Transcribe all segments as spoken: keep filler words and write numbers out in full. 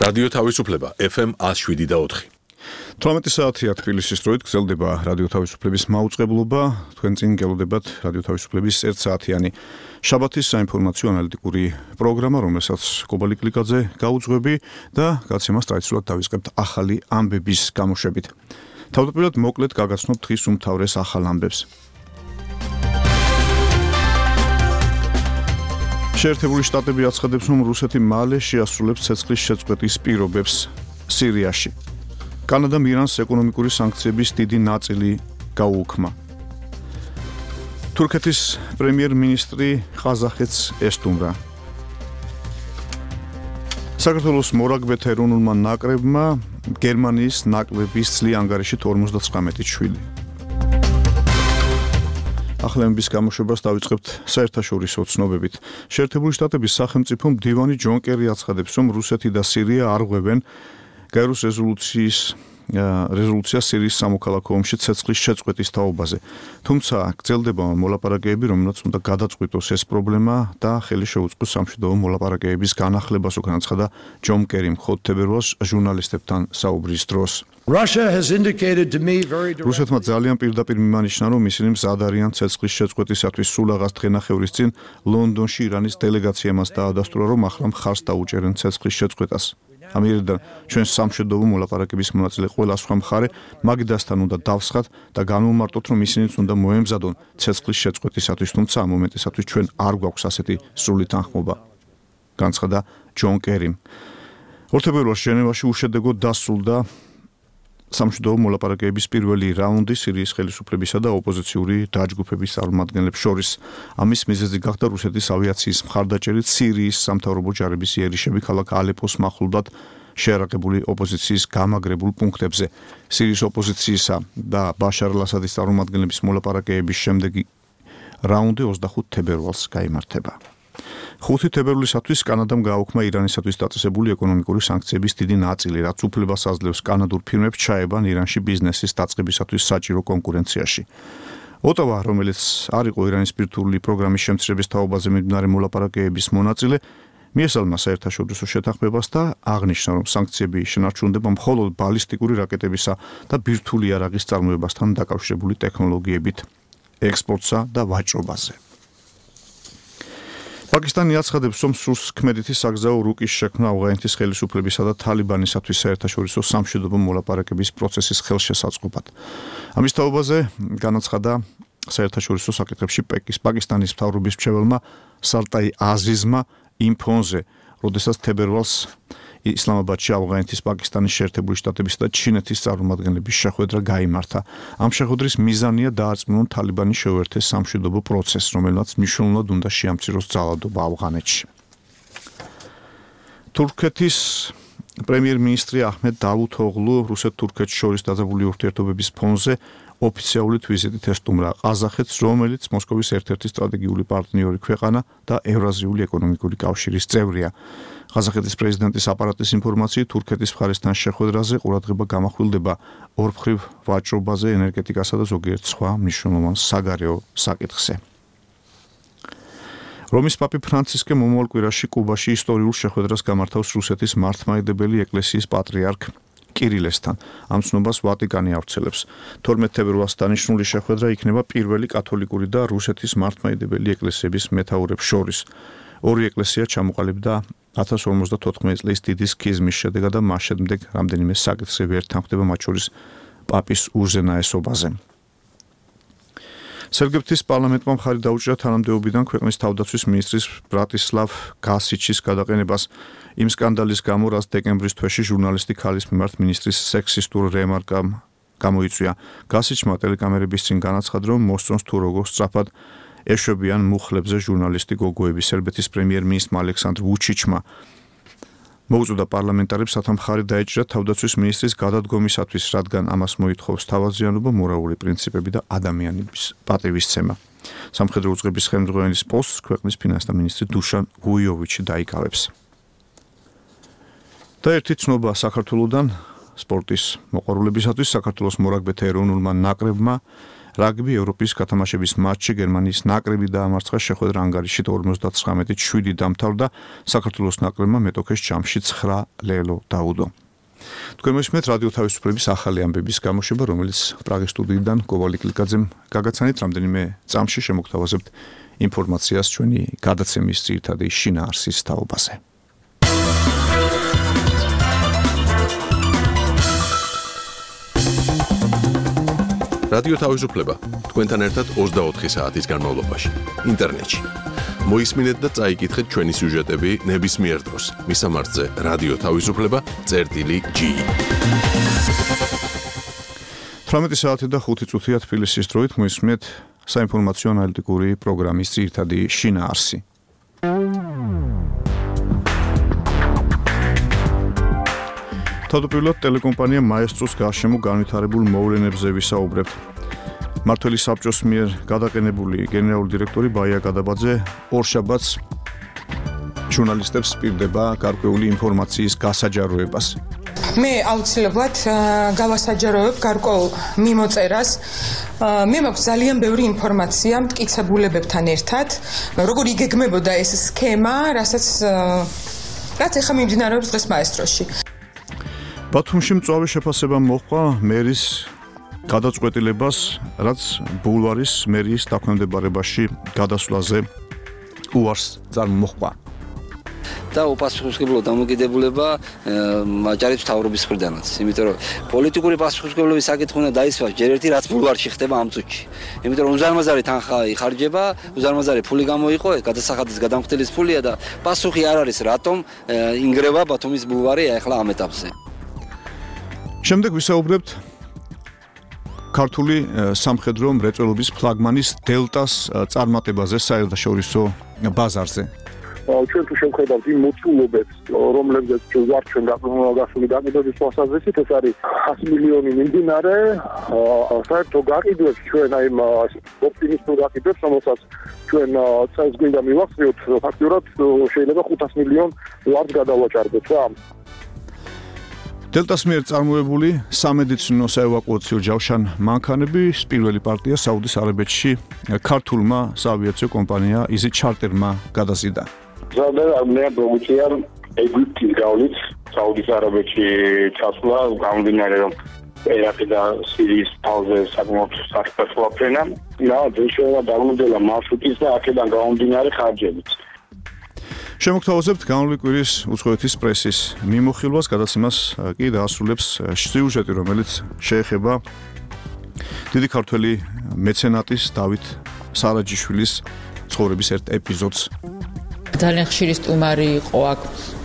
რადიო თავისუფლება ეფ ემ one oh seven და four. თვრამეტი საათია თბილისის დროით გრძელდება რადიო თავისუფლების მაუწყებლობა. თქვენ წინ გელოდებათ რადიო თავისუფლების ერთ საათიანი შაბათის საინფორმაციო ანალიტიკური პროგრამა, რომელსაც კობალი კლიკაძე გაუძღვები და გაცემას ტრადიციულად დავიწყებთ ახალი ამბების გამოშვებით. თავდაპირველად მოკლედ გაგაცნობთ დღის უმთავრეს ახალ ამბებს. შეერთებული შტატები აცხადებს, რომ რუსეთი მალე შეასრულებს ცეცხლის შეწყვეტის პირობებს სირიაში. კანადამ ირანს ეკონომიკური სანქციების დიდი ნაწილი გაუუქმა. თურქეთის პრემიერ-მინისტრი ყაზახეთს ესტუმრა. საქართველოს მორაგბეთა ეროვნულმა ნაკრებმა გერმანიის ნაკრების წლიან ანგარიშით ორმოცდათხრამეტი შვილი. ახალების გამოშვებას დავიწყებთ საერთაშორისო ცნობებით. შეერთებული შტატების სახელმწიფო მდივანი ჯონ კერი აცხადებს, რომ რუსეთი და სირია არ ღვევენ გაეროს რეზოლუციის რეზოლუცია სირიის სამოქალაქო ომში ცეცხლის შეწყვეტის თაობაზე. თუმცა გრძელდება მოლაპარაკებები, რომელსაც უნდა გადაწყვიტოს ეს პრობლემა და ხელი შეუწყოს სამშვიდობო მოლაპარაკებების განახლებას, განაცხადა ჯონ კერიმ მხოლოდ თებერვალს ჟურნალისტებთან საუბრის დროს. რუსეთმა ძალიან პირდაპირ მიმანიშნა, რომ ისინი მზად არიან ცეცხლის შეწყვეტისათვის. სულაღას დღენახევრის წინ ლონდონში ირანის დელეგაციამ დაადასტურა, რომ ახლა მხარს დაუჭერენ ცეცხლის შეწყვეტას. ამიერიდან ჩვენს სამშვიდობო მოლაპარაკების მონაწილე ყველა სხვა მხარე მაგიდასთან უნდა დავსხათ და განვმარტოთ, რომ ისინიც უნდა მოემზადონ ცეცხლის შეწყვეტისათვის, თუმცა ამ მომენტისათვის ჩვენ არ გვაქვს ასეთი სრული თანხმობა, განცხადა ჯონ კერიმ. ორ თებერვალს ჟენევაში უშედეგოდ დასრულდა სამშვიდობო მოლაპარაკებების პირველი რაუნდი სირიის ხელისუფლებისა და ოპოზიციური დაჯგუფების წარმომადგენლებს შორის. ამის მიზეზი გახდა რუსეთის ავიაციის მხარდაჭერით სირიის სამთავრობო ჯარების იერიშები ქალაქ ალეპოს მახლობლად შეარაღებული ოპოზიციის გამაგრებულ პუნქტებზე. სირიის ოპოზიციისა და ბაშარ ალ-ასადის წარმომადგენლების მოლაპარაკებების შემდეგი რაუნდი ოცდახუთ თებერვალს გაიმართება. ხუთი თებერვლისათვის კანადამ გააუქმა ირანისათვის დაწესებული ეკონომიკური სანქციების დიდი ნაწილი, რაც უფლებას აძლევს კანადურ ფირმებს ჩაებან ირანში ბიზნესის დაწყებისათვის საჭირო კონკურენციაში. ოტავა, რომელიც არ იყო ირანის ბირთვული პროგრამის შემცირების თაობაზე მიმდინარე მოლაპარაკებების მონაწილე, მიესალმა საერთაშორისო შეთანხმებას და აღნიშნა, რომ სანქციები შენარჩუნდება მხოლოდ ბალისტიკური რაკეტებისა და ბირთვული იარაღის წარმოებასთან დაკავშირებული ტექნოლოგიებით, ექსპორტსა და ვაჭრობაზე. პაკისტანი აცხადებს, რომ სურს ქმედითი საგზაო რუკის შექმნა ავღანეთის ხელისუფლებისა და თალიბანისათვის საერთაშორისო სამშვიდობო მოლაპარაკების პროცესის ხელშესაწყობად. ამის თაობაზე განაცხადა საერთაშორისო საკითხებში პაკისტანის მთავრობის მრჩეველმა სარტაი აზიზმა იმ ფონზე, როდესაც თებერვალს ისლამაბადში ავღანეთის, პაკისტანის, შეერთებული შტატებისა და ჩინეთის წარმომადგენლების შეხვედრა გაიმართა. ამ შეხვედრის მიზანია დაარწმუნონ თალიბანი შეუერთეს სამშვიდობო პროცესს, რომელმაც მნიშვნელოვნად უნდა შეამციროს ძალადობა ავღანეთში. თურქეთის პრემიერ-მინისტრი აჰმედ დავუთოღლუ რუსეთ-თურქეთს შორის დაძაბული ურთიერთობების ფონზე ოფიციალურად ვიზიტით ესტუმრა ყაზახეთს, რომელიც მოსკოვის ერთ-ერთი სტრატეგიული პარტნიორი ქვეყანა და ევრაზიული ეკონომიკური კავშირის წევრია. ყაზახეთის პრეზიდენტის აპარატის ინფორმაციით, თურქეთის მხარესთან შეხვედრაზე ყურადღება გამახვილდება ორმხრივ ვაჭრობაზე, ენერგეტიკასა და ზოგიერთ სხვა მნიშვნელოვან საგარეო საკითხზე. რომის პაპი ფრანცისკე მომავალ კვირაში კუბაში ისტორიულ შეხვედრას გამართავს რუსეთის მართლმადიდებელი ეკლესიის პატრიარქ კირილესთან. ამ ცნობას ვატიკანი ავრცელებს. თორმეტ თებერვალს დანიშნული შეხვედრა იქნება პირველი კათოლიკური და რუსეთის მართლმადიდებელი ეკლესიების მეთაურებს შორის. ორი ეკლესია ჩამოყალიბდა ათას ორმოცდათოთხმეტი წლის დიდი სქიზმის შედეგად და მას შემდეგ რამდენიმე საკითხზე ვერ თანხმდება, მათ შორის პაპის უზენაესობაზე. სერგეფთის პარლამენტმა მხარი დაუჭირა თანამდებობიდან ქვეყნის თავდაცვის მინისტრის ბრატისლავ გასიჩის გადაყენებას იმ სკანდალის გამო, რაც დეკემბრის თვეში ჟურნალისტი ქალის მიმართ მინისტრის სექსისტურ რემარკამ გამოიწვია. გასიჩმა ტელეკამერების წინ განაცხადა, რომ მოსწონს თუ როგორ სწრაფად ეშვებიან მუხლებზე ჟურნალისტი გოგოები. სერბეთის პრემიერ-მინისტრმა ალექსანდრ ვუჩიჩმა მოუწოდა პარლამენტარებს სათა მხარი დაეჭირა თავდაცვის მინისტრის გადადგომისათვის, რადგან ამას მოითხოვს თავაზიანობა, მორალური პრინციპები და ადამიანების პატივისცემა. სამხედრო უწყების ხელმძღვანელის პოსტს ქვეყნის ფინანსთა მინისტრი დუშან გუიოვიჩი დაიკავებს. და ერთი ცნობა საქართველოდან სპორტის მოყვარულებისათვის. საქართველოს მორაგბეთა ეროვნულმა ნაკრებმა რაგბი ევროპის გათამაშების მატჩი გერმანიის ნაკრები დაამარცხა შეხვედრა ანგარიშით ორმოცდათხრამეტით შვიდი დამთავრდა საქართველოს ნაკრებმა მეტოქეს ჯამში ცხრა ლელო დაუდო. თქვენ მოსმენთ რადიო თავისუფლების ახალი ამბების გამოშვება, რომელიც პრაღის სტუდიიდან გოვალი კლიკაძემ გაგაცანით. რამდენიმე წამში შემოგთავაზებთ ინფორმაციას ჩვენი გადაცემის ძირითადი შინაარსის თაობაზე. რადიო თავისუფლება თქვენთან ერთად ოცდაოთხი საათის განმავლობაში ინტერნეტში. მოისმინეთ და წაიკითხეთ ჩვენი სიუჟეტები ნებისმიერ დროს. მისამართზე რადიო თავისუფლება წერტილი ჯი. თვრამეტი საათი და ხუთი წუთია თბილისის დროით მოისმინეთ საინფორმაციო ანალიტიკური პროგრამის ძირითადი შინაარსი. თავდაპირველად ტელეკომპანია მაესტროს გარშემო განვითარებულ მოვლენებზე ვისაუბრებთ. მმართველი საბჭოს მიერ გადაყენებული გენერალური დირექტორი ბაია გადაბაძე ორშაბათს ჟურნალისტებს პირდება გარკვეული ინფორმაციის გასაჯაროებას. მე აუცილებლად გავასაჯაროებ გარკვეულ მიმოწერას. მე მაქვს ძალიან ბევრი ინფორმაცია მტკიცებულებებთან ერთად, როგორ იგეგმებოდა ეს სქემა, რასაც რაც ახლა მიმდინარეობს დღეს მაესტროში. ბათუმში მწვავე შეფასება მოჰყვა მერის გადაწყვეტილებას, რაც ბულვარის მერიის დაქვემდებარებაში გადასვლაზე უარს წარმოჰყვა. და უპასუხისმგებლო დამოკიდებულება აჭარის მთავრობის მხრიდანაც, იმიტომ რომ პოლიტიკური პასუხისმგებლობის საკითხი უნდა დაისვას ჯერ ერთი რაც ბულვარში ხდება ამ წუთში. იმიტომ რომ უზარმაზარი თანხა იხარჯება, უზარმაზარი ფული გამოიყო, გადასახადის გადამხდელის ფულია და პასუხი არ არის რატომ ინგრევა ბათუმის ბულვარი ახლა ამ ეტაპზე. შემდეგ ვისაუბრებთ ქართული სამხედრო მრეწველობის ფლაგმანის დელტას წარმატებაზე საერთაშორისო ბაზარზე. ჩვენ თუ შევხედავთ იმ მოცულობებს, რომლებზეც ვარ ჩვენ გასული გაყიდვების თვალსაზრისით, ეს არის ათი მილიონი მიმდინარე, საერთო გაყიდვებს ჩვენ აი იმ ოპტიმისტურ გაყიდვებს, რომელსაც ჩვენ წელს გვინდა მივახციოთ, ფაქტურად შეიძლება ხუთას მილიონ ლარს გადავაჭარბოთ რა. დელტას მიერ წარმოებული სამედიცინო საევაკუაციო ჯავშან მანქანების პირველი პარტია საუდის არაბეთში ქართულმა საავიაციო კომპანია იზი ჩარტერმა გადაზიდა. ზადე პროუჩია ეგვიპტის გავლით საუდის არაბეთში ჩასვლა გამომდინარე რომ ერაყი და სირიის თავზე საკმაოდ საფრთხეა ფრენა და შეიძლება დამოდელა მარშრუტის და აქედან გამომდინარე ხარჯებით. შემოგთავაზებთ განვლილი კვირის უცხოეთის პრესის მიმოხილვას, გადაცემას კი დაასრულებს სიუჟეტი, რომელიც შეეხება დიდი ქართველი მეცენატის დავით სარაჯიშვილის ცხოვრების ერთ ეპიზოდს. ძალიან ხშირი სტუმარი იყო აქ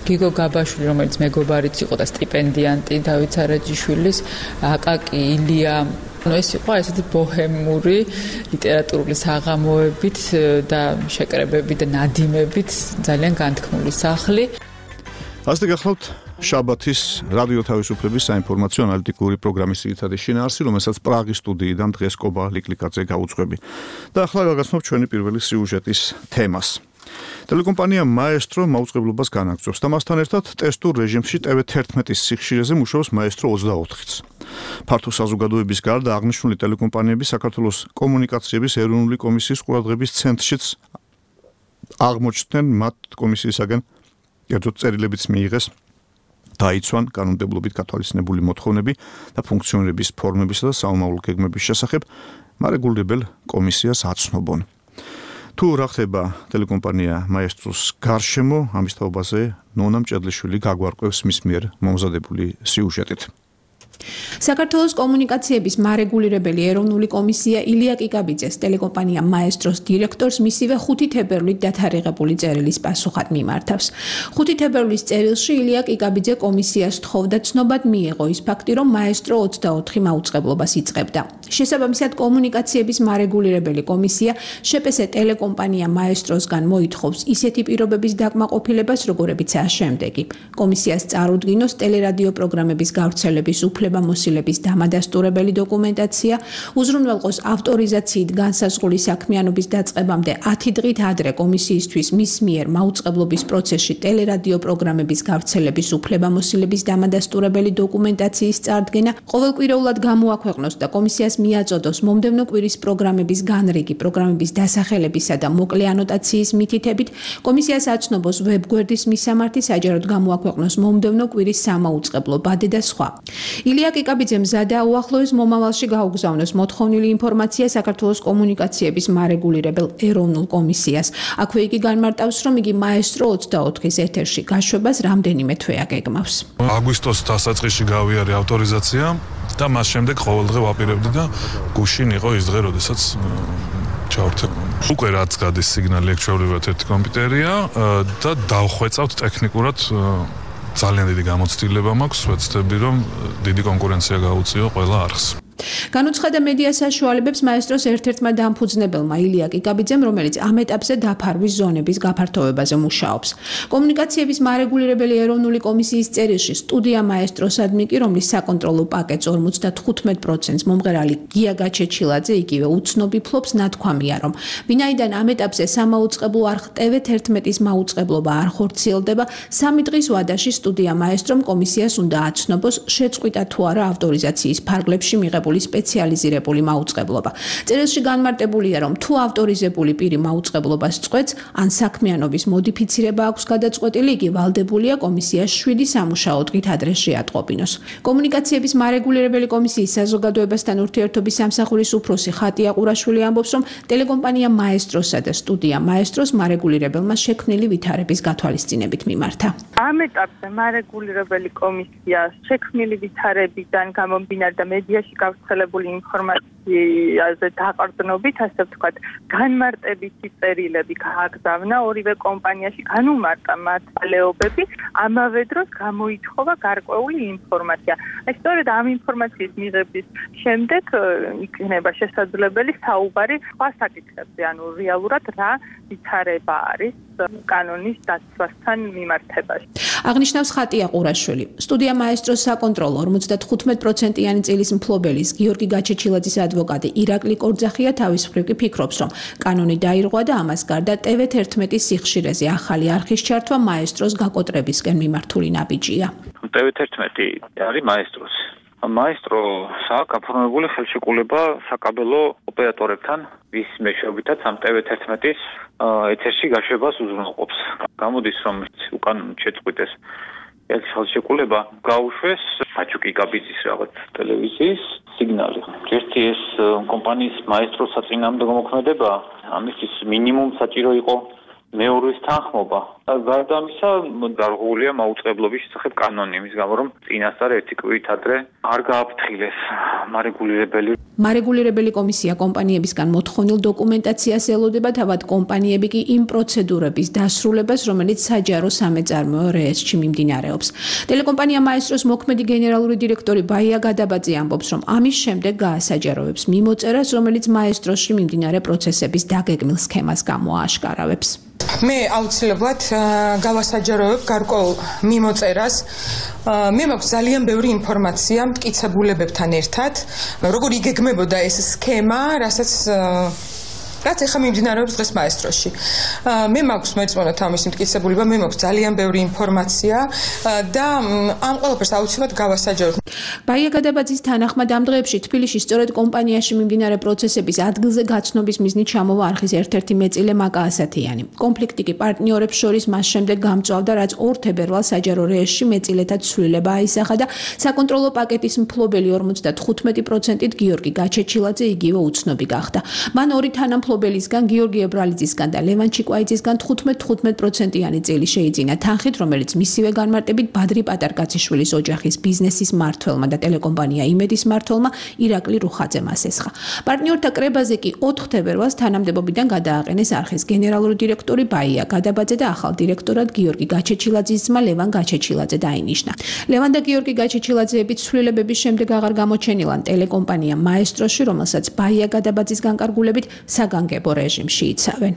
გიგო გაბაშვილი, რომელიც მეგობარიც იყო და სტიპენდიანტი დავით სარაჯიშვილის, აკაკი ილია. Ну ეს იყო ესეთი ბოჰემური ლიტერატურული საღამოებით და შეკრებებით და ნადიმებით ძალიან განთქმული სახლი. ასე გახლავთ შაბათის რადიო თავისუფლების საინფორმაციო ანალიტიკური პროგრამის ძირითადი შინაარსი, რომელსაც პრაღის სტუდიიდან დღეს გოვალი კლიკაძე გაუძღვები. და ახლა გაგაცნობთ ჩვენი პირველი სიუჟეტის თემას. ტელეკომპანია მაესტრო მაუწყებლობას განაგრძობს და მასთან ერთად ტესტურ რეჟიმში ტევ თერთმეტის სიხშირეზე მუშაობს მაესტრო ოცდაოთხიც. ფართო საზოგადოების გარდა აღნიშნული ტელეკომპანიები საქართველოს კომუნიკაციების ეროვნული კომისიის ყურადღების ცენტრშიც აღმოჩნდნენ, მათ კომისიისაგან კერძოდ წერილებიც მიიღეს დაიცვან კანონმდებლობით გათვალისწინებული მოთხოვნები და ფუნქციონირების ფორმებისა და საომავლო გეგმების შესახებ მარეგულირებელ კომისიას აცნობონ. თუ რა ხდება ტელეკომპანია მაესტროს გარშემო, ამის თაობაზე ნონა მჭედლიშვილი გაგვარკვევს მის მიერ მომზადებული სიუჟეტით. საქართველოს კომუნიკაციების მარეგულირებელი ეროვნული კომისია ილია კიკაბიძეს ტელეკომპანია მაესტროს დირექტორს მისივე ხუთი თებერვლით დათარიღებული წერილის პასუხად მიმართავს. ხუთი თებერვლის წერილში ილია კიკაბიძე კომისიას თხოვდა ცნობად მიიღო ის ფაქტი, რომ მაესტრო ოცდაოთხი მაუწყებლობას იწყებდა. შესაბამისად, კომუნიკაციების მარეგულირებელი კომისია შეპესე ტელეკომპანია მაესტროსგან მოითხოვს ისეთი პირობების დაკმაყოფილებას, როგორებიცაა შემდეგი: კომისიას წარუდგინოს ტელერადიო პროგრამების გავრცელების უფლებამოსილების დამადასტურებელი დოკუმენტაცია, უზრუნველყოს ავტორიზაციით განსაზღვრული საქმიანობის დაწყებამდე ათი დღით ადრე კომისიისთვის მის მიერ მაუწყებლობის პროცესში ტელერადიო პროგრამების გავრცელების უფლებამოსილების დამადასტურებელი დოკუმენტაციის წარდგენა, ყოველკვირეულად გამოაქვეყნოს და კომისიას მიაწოდოს მომდევნო კვირის პროგრამების განრიგი, პროგრამების დასახელებისა და მოკლე ანოტაციის მითითებით, კომისიას აცნობს ვებგვერდის მისამართი, საჯაროდ გამოაქვეყნოს მომდევნო კვირის სამაუწყებლო ბადე და სხვა. ილია კიკაბიძემ მზადა უახლოეს მომავალში გაუგზავნოს მოთხოვნილი ინფორმაცია საქართველოს კომუნიკაციების მარეგულირებელ ეროვნულ კომისიას. აქვე იგი განმარტავს, რომ იგი მაესტრო ოცდაოთხის ეთერში გაშვებას რამდენიმე თვე აგეგმავს. აგვისტოს დასაწყისში გავიარე ავტორიზაცია და მას შემდეგ ყოველდღე ვაპირებდი და გუშინ იყო ის დღე, როდესაც ჩავერთე. უკვე რაც გადის სიგნალი აქ ჩვეულებრივად ერთი კომპიუტერია და დავხვეწავთ ტექნიკურად ძალიან დიდი გამოცდილება მაქვს, ვეცდები რომ დიდი კონკურენცია გაუწიო ყველა არხს. განუცხადა მედია საშუალებებს მაესტროს ერთ-ერთმა დამფუძნებელმა ილია კიკაბიძემ, რომელიც ამ ეტაპზე დაფარვის ზონების გაფართოვებაზე მუშაობს. კომუნიკაციების მარეგულირებელი ეროვნული კომისიის წერილში სტუდია მაესტროსადმი კი, რომლის საკონტროლო პაკეტს ორმოცდათხუთმეტ პროცენტს მომღერალი გია გაჩეჩილაძე იგივე უცნობი ფლობს, ნათქვამია, რომ ვინაიდან ამ ეტაპზე სამაუწყებლო არხ ტე ვე თერთმეტის მაუწყებლობა არ ხორციელდება, სამი დღის ვადაში სტუდია მაესტრომ კომისიას უნდა აცნობს, შეწყვიტა თუ არა ავტორიზაციის ფარგლებში მიღებული სპეციალიზირებული მაუწყებლობა. წერილში განმარტებულია, რომ თუ ავტორიზებული პირი მაუწყებლობას წყვეტს, ან საქმიანობის მოდიფიცირება აქვს გადაწყვეტილი, იგი ვალდებულია კომისიას შვიდი სამუშაო დღით ადრე შეატყობინოს. კომუნიკაციების მარეგულირებელი კომისიის საზოგადოებასთან ურთიერთობის სამსახურის უფროსი ხატია ყურაშვილი ამბობს, რომ ტელეკომპანია მაესტროსა და სტუდია მაესტროს მარეგულირებელმა შექმნილი ვითარების გათვალისწინებით მიმართა. ამ ეტაპზე მარეგულირებელი კომისია შექმნილი ვითარებიდან გამომდინარე და მედიაში გავრცელებული ინფორმაციაზე დაყრდნობით, ასე ვთქვათ, განმარტებითი წერილები გააგზავნა ორივე კომპანიაში, განუმარტა მათ ვალეობები, ამავე დროს გამოითხოვა გარკვეული ინფორმაცია. აი, სწორედ ამ ინფორმაციის მიღების შემდეგ იქნება შესაძლებელი საუბარი სხვა საკითხებზე, ანუ რეალურად რა ვითარება არის კანონის დაცვასთან მიმართებაში. აღნიშნავს ხატია ყურაშვილი. სტუდია მაესტროს საკონტროლო ორმოცდათხუთმეტ პროცენტიანი წილის მფლობელის გიორგი გაჩეჩილაძის ადვოკატი ირაკლი კორძახია თავის მხრივ კი ფიქრობს, რომ კანონი დაირღვა და ამას გარდა ტე ვე თერთმეტის სიხშირეზე ახალი არხის ჩართვა მაესტროს გაკოტრებისკენ მიმართული ნაბიჯია. ტე ვე თერთმეტი არის მაესტროს. მაესტრო აქვს გაფორმებული ხელშეკრულება საკაბელო ოპერატორებთან, ვის მეშვეობითაც ამ ტე ვე თერთმეტის ეთერში გაშვებას უზრუნველყოფს. გამოდის, რომ უკან შეწყვიტეს ეს ხელშეკრულება, გაუშვეს ბაჩუ კიკაბიძის რაღაც ტელევიზიის სიგნალი. ერთი ეს კომპანიის მაესტროს საწინააღმდეგო მოქმედება, ამისთვის მინიმუმ საჭირო იყო მეორის თანხმობა. გარდა ამისა, დარღვეულია მაუწყებლობის შესახებ კანონი, იმის გამო, რომ წინასწარ ერთი კვირით ადრე არ გააფრთხილეს მარეგულირებელი. მარეგულირებელი კომისია კომპანიებისგან მოთხოვნილ დოკუმენტაციას ელოდება, თავად კომპანიები კი იმ პროცედურების დასრულებას, რომელიც საჯარო სამეწარმოო რეესტრში მიმდინარეობს. ტელეკომპანია მაესტროს მოქმედი გენერალური დირექტორი ბაია გადაბაძე ამბობს, რომ ამის შემდეგ გაასაჯაროებს მიმოწერას, რომელიც მაესტროში მიმდინარე პროცესების დაგეგმილ სქემას გამოააშკარავებს. მე აუცილებლად გავასაჯაროებ გარკვეულ მიმოწერას. მე მაქვს ძალიან ბევრი ინფორმაცია მტკიცებულებებთან ერთად, როგორ იგეგმებოდა ეს სქემა, რასაც რაც ეხა მიმდინარეობს დღეს მაესტროში. მე მაქვს მეწმონა თავის მტკიცებულება, მე მაქვს ძალიან ბევრი ინფორმაცია და ამ ყველაფერს აუცილებლად გავასაჯაროებ. ბაია გადაბაძის თანახმად ამ დღეებში თბილისში სწორედ კომპანიაში მიმდინარე პროცესების ადგილზე გაცნობის მიზნით ჩამოვა არხის ერთ-ერთი მეწილე მაკა ასათიანი. კონფლიქტი კი პარტნიორებს შორის მას შემდეგ გამწვავდა, რაც ორ თებერვალს საჯარო რეესტრში მეწილეთა ცვლილება აისახა და საკონტროლო პაკეტის მფლობელი ორმოცდათხუთმეტი პროცენტით გიორგი გაჩეჩილაძე იგივე უცნობი გახდა. მან ორი თანამფლობელისგან, გიორგი ებრალიძისგან და ლევან ჩიკვაიძისგან თხუთმეტ თხუთმეტ პროცენტიანი წელი შეიძინა თანხით, რომელიც მისივე განმარტებით ბადრი პატარკაციშვილის ოჯახის ბიზნესის მმართველმა და ტელეკომპანია იმედის მმართველმა ირაკლი რუხაძემ ასესხა. პარტნიორთა კრებაზე კი ოთხ თებერვალს თანამდებობიდან გადააყენეს არხის გენერალური დირექტორი ბაია გადაბაძე და ახალ დირექტორად გიორგი გაჩეჩილაძის ძმა ლევან გაჩეჩილაძე დაინიშნა. ლევან და გიორგი გაჩეჩილაძეების ცვლილებების შემდეგ აღარ გამოჩენილან ტელეკომპანია მაესტროში, რომელსაც ბაია გადაბაძის განკარგულებით საგანგებო რეჟიმში იცავენ.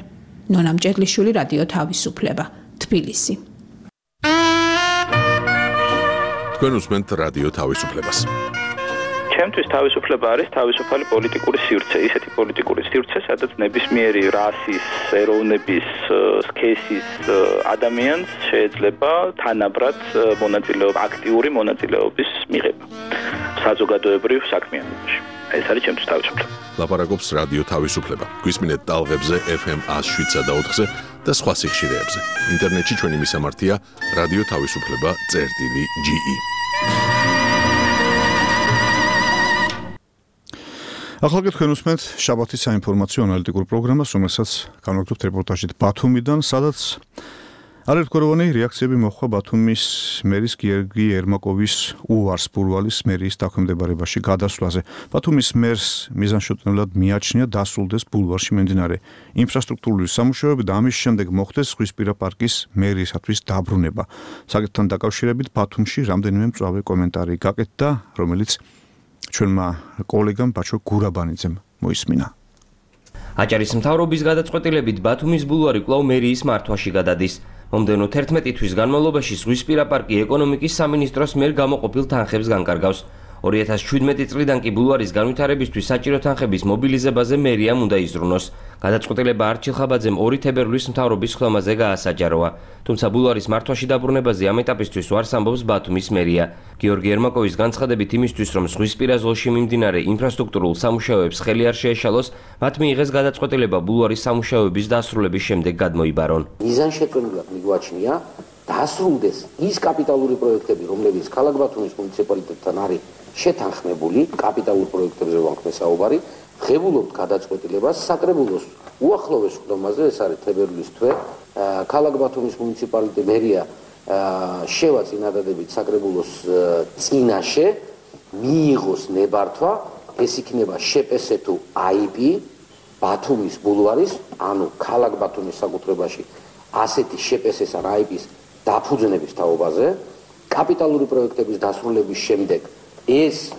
ნონა მჭედლიშვილი, რადიო თავისუფლება, თბილისი. თქვენ უსმენთ რადიო თავისუფლებას. ჩემთვის თავისუფლება არის თავისუფალი პოლიტიკური სივრცე, ისეთი პოლიტიკური სივრცე, სადაც ნებისმიერი რასის, ეროვნების, სქესის ადამიანს შეიძლება თანაბრად მონაწილეობა, აქტიური მონაწილეობის მიღება საზოგადოებრივ საქმიანობაში. ეს არის ჩემთვის თავისუფლება. ლაპარაკობს რადიო თავისუფლება. გვისმინეთ ტალღებზე ეფ ემ one oh seven და ოთხზე და სხვა სიხშირეებზე. ინტერნეტში ჩვენი მისამართია რადიო თავისუფლება წერტილი ჯი ი. ახლა გეთქვენ უსმენთ შაბათის საინფორმაციო ანალიტიკურ პროგრამას, რომელსაც განვაგრძობთ რეპორტაჟით ბათუმიდან, სადაც არაერთგვაროვანი რეაქციები მოჰყვა ბათუმის მერის გიორგი ერმაკოვის უარს ბულვარის მერიის დაქვემდებარებაში გადასვლაზე. ბათუმის მერს მიზანშეწონილად მიაჩნია დასრულდეს ბულვარში მიმდინარე ინფრასტრუქტურული სამუშაოები და ამის შემდეგ მოხდეს ზღვისპირა პარკის მერიისათვის დაბრუნება. საკითხთან დაკავშირებით ბათუმში რამდენიმე მწვავე კომენტარი გაკეთდა, რომელიც ჩვენმა კოლეგამ ბაჩო გურაბანიძემ მოისმინა. აჭარის მთავრობის გადაწყვეტილებით ბათუმის ბულვარი კვლავ მერიის მართვაში გადადის. მომდევნო თერთმეტი თვის განმავლობაში ზღვისპირა პარკი ეკონომიკის სამინისტროს მიერ გამოყოფილ თანხებს განკარგავს. ორი ათას შვიდმეტი წლიდან კი ბულვარის განვითარებისთვის საჭირო თანხების მობილიზებაზე მერიამ უნდა იზრუნოს. გადაწყვეტილება არჩილ ხაბაძემ ორი თებერვლის მთავრობის ხდომაზე გაასაჯაროა. თუმცა ბულვარის მართვაში დაბრუნებაზე ამ ეტაპისთვის უარს ამბობს ბათუმის მერია. გიორგი ერმაკოვის განცხადებით იმისთვის, რომ ზღვისპირა ზოლში მიმდინარე ინფრასტრუქტურულ სამუშაოებს ხელი არ შეეშალოს, მათ მიიღეს გადაწყვეტილება ბულვარის სამუშაოების დასრულების შემდეგ გადმოიბარონ. მიზანშეწონილად მიგვაჩნია დასრულდეს ის კაპიტალური პროექტები, რომლებიც ქალაქ ბათუმის მუნიციპალიტეტთან არის შეთანხმებული, კაპიტალურ პროექტებზე ვანქმე საუბარი, ღებულობთ გადაწყვეტილებას საკრებულოს უახლოვეს ხდომაზე, ეს არის თებერვლის თვე, ქალაქ ბათუმის მუნიციპალიტეტი მერია შევა წინადადებით საკრებულოს წინაშე მიიღოს ნებართვა, ეს იქნება შპს თუ აი პი ბათუმის ბულვარის, ანუ ქალაქ ბათუმის საკუთრებაში ასეთი შპს ან აი პის დაფუძნების თაობაზე, კაპიტალური პროექტების დასრულების შემდეგ ეს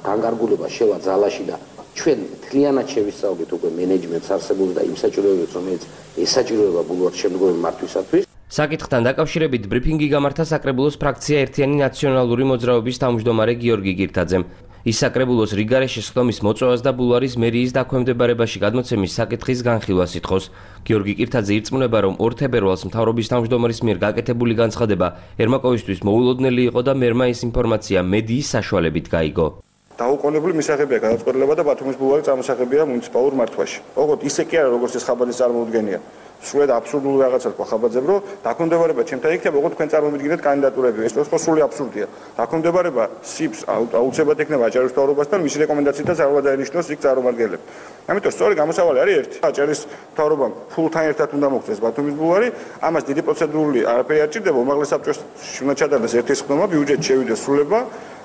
განკარგულება შევა ძალაში და ჩვენ მთლიანად შევისწავლით უკვე მენეჯმენტს არსებობს და იმ საჭიროებებს, რომელიც ესაჭიროება ბულვარის შემდგომი მართვისათვის. საკითხთან დაკავშირებით ბრიფინგი გამართა საკრებულოს ფრაქცია ერთიანი ნაციონალური მოძრაობის თავმჯდომარე გიორგი გირთაძემ. ის საკრებულოს რიგარეშის ხდომის მოწვევას და ბულვარის მერიის დაქვემდებარებაში გადმოცემის საკითხის განხილვას ითხოვს. გიორგი გირთაძე ირწმუნება, რომ ორ თებერვალს მთავრობის თავმჯდომარის მიერ გაკეთებული განცხადება ერმაკოვისთვის მოულოდნელი იყო და მერმა ეს ინფორმაცია მედიის საშუალებით გაიგო. დაუყოვნებლივ მისაღებია გადაწყვეტილება და ბათუმის ბულვარი წარმოსახებია მუნიციპალურ მართვაში. ოღონდ ისე კი არა, როგორც ეს ხაბაძის წარმოუდგენია. სრულად აბსურდული რაღაცას ყვა ხაბაძემ, რომ დაქვემდებარება ჩემთან იქნება, ოღონდ თქვენ წარმომიდგინეთ კანდიდატურები. ეს თქო სრული აბსურდია. დაქვემდებარება სიპს აუცილებლად ექნება აჭარის მთავრობასთან, მისი რეკომენდაციითაც არ უნდა დაენიშნოს იქ წარმომადგენლებს. ამიტომ სწორი გამოსავალი არის ერთი. აჭარის მთავრობამ ფულთან ერთად უნდა მოხდეს ბათუმის ბულვარი, ამას დიდი პროცედურული არაფერი არ ჭირდება, უმაღლეს საბჭოს უნდა ჩატარდეს ერთი ხდომა, ბიუჯეტი შევიდეს სრულება.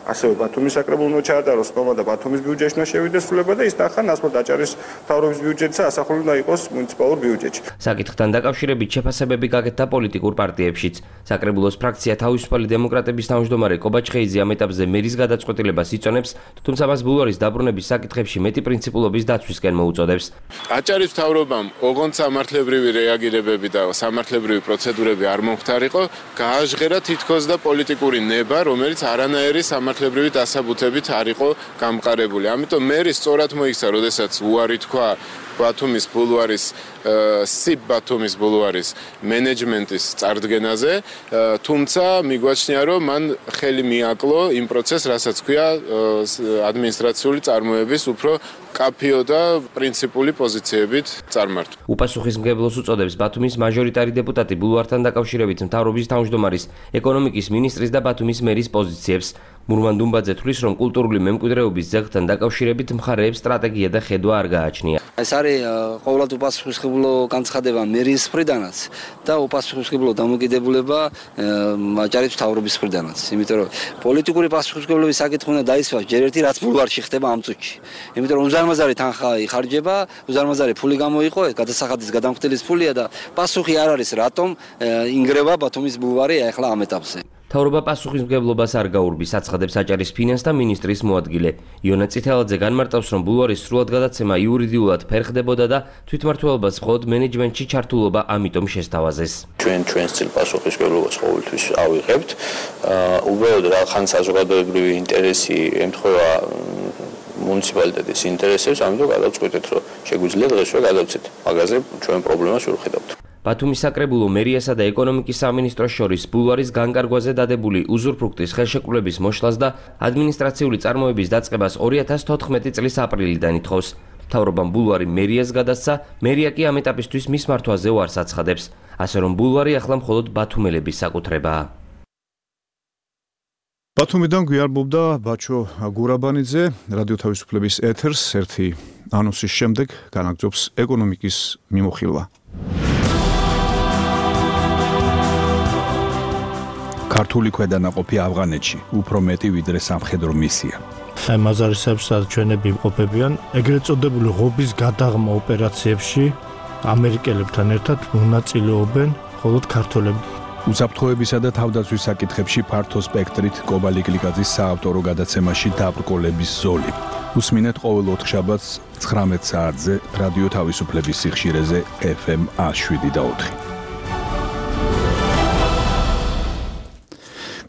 ასევე ბათუმის საკრებულო ჩაატაროს ხდომა და ბათუმის ბიუჯეტში უნდა შევიდეს სრულება და ის ნახან ასმოდ აჭარის მთავრობის ბიუჯეტსა ასახული უნდა იყოს მუნიციპალურ ბიუჯეტში. საკითხთან დაკავშირებით შეფასებები გაკეთდა პოლიტიკურ პარტიებშიც. საკრებულოს ფრაქცია თავისუფალი დემოკრატების თავმჯდომარე კობა ჩხეიძე ამ ეტაპზე მერის გადაწყვეტილებას იწონებს, თუმცა მას ბულვარის დაბრუნების საკითხებში მეტი პრინციპულობის დაცვისკენ მოუწოდებს. აჭარის მთავრობამ ოღონდ სამართლებრივი რეაგირებები და სამართლებრივი პროცედურები არ მომხდარიყო, გააჟღერა თითქოს და პოლიტიკური ნება, რომელიც არანაირი სამართლებრივი დასაბუთებით არ იყო გამყარებული. ამიტომ მერი სწორად მოიქცა, როდესაც უარი თქვა ბათუმის ბულვარის სიბ ბათუმის ბულვარის მენეჯმენტის წარდგენაზე, თუმცა მიგვაჩნია, რომ მან ხელი მიაკლო იმ პროცესს, რასაც ქვია ადმინისტრაციული წარმოების უფრო კაფეო და პრინციპული პოზიციებით წარმართვა. უპასუხისმგებლოს უწოდებს ბათუმის მაჟორიტარი დეპუტატი ბულვართან დაკავშირებით მთავრობის თავმჯდომარის, ეკონომიკის მინისტრის და ბათუმის მერის პოზიციებს. მურმან დუმბაძე თვლის, რომ კულტურული მემკვიდრეობის ძეგლთან დაკავშირებით მხარეებს სტრატეგია და ხედვა არ გააჩნია. ეს არის ყოველად უპასუხისმგებლო განცხადება მერიის მხრიდანაც და უპასუხისმგებლო დამოკიდებულება აჭარის მთავრობის მხრიდანაც. იმიტომ რომ პოლიტიკური პასუხისმგებლობის საკითხი უნდა დაისვას ჯერ ერთი რაც ბულვარში ხდება ამ წუთში. იმიტომ რომ უზარმაზარი თანხა იხარჯება, უზარმაზარი ფული გამოიყო, გადასახადის გადამხდილის ფულია და პასუხი არ არის რატომ ინგრევა ბათუმის ბულვარი ახლა ამ ეტაპზე. მთავრობა პასუხისმგებლობას არ გაურბის, აცხადებს აჭარის ფინანსთა მინისტრის მოადგილე. იონა წითელაძე განმარტავს, რომ ბულვარის სრულად გადაცემა იურიდიულად ფერხდებოდა და თვითმმართველობას მხოლოდ მენეჯმენტში ჩართულობა ამიტომ შესთავაზეს. ჩვენ ჩვენს წილ პასუხისმგებლობას ყოველთვის ავიღებთ. უბრალოდ რახან საზოგადოებრივი ინტერესი ემთხვევა მუნიციპალიტეტის ინტერესებს, ამიტომ გადავწყვიტეთ, რომ შეგვიძლია დღესვე გადავცეთ. მაგაზე ჩვენ პრობლემას ვერ ხედავთ. ბათუმის საკრებულო მერიასა და ეკონომიკის სამინისტროს შორის ბულვარის განკარგვაზე დადებული უზურპრუქტის ხელშეკრულების მოშლას და ადმინისტრაციული წარმოების დაწყებას ორი ათას თოთხმეტი წლის აპრილიდან ითხოვს. მთავრობამ ბულვარი მერიას გადასცა, მერია კი ამ ეტაპისთვის მის მართვაზე უარს აცხადებს, ასე რომ ბულვარი ახლა მხოლოდ ბათუმელების საკუთრებაა. ბათუმიდან გვიარბობდა ბაჩო გურაბანიძე, რადიო თავისუფლების ეთერს ერთი ანონსის შემდეგ განაგრძობს ეკონომიკის მიმოხილვა. ქართული ქვედანაყოფი ავღანეთში უფრო მეტი ვიდრე სამხედრო მისია. მაზარისებს ჩვენები იმყოფებიან ეგრეთ წოდებული ღობის გადაღმა ოპერაციებში ამერიკელებთან ერთად მონაწილეობენ მხოლოდ ქართველები. უსაფრთხოებისა და თავდაცვის საკითხებში ფართო სპექტრით კობალი გლიკაძის საავტორო გადაცემაში დაბრკოლების ზოლი. უსმინეთ ყოველ ოთხშაბათს ცხრამეტ საათზე რადიო თავისუფლების სიხშირეზე ეფ ემ შვიდ და ოთხი.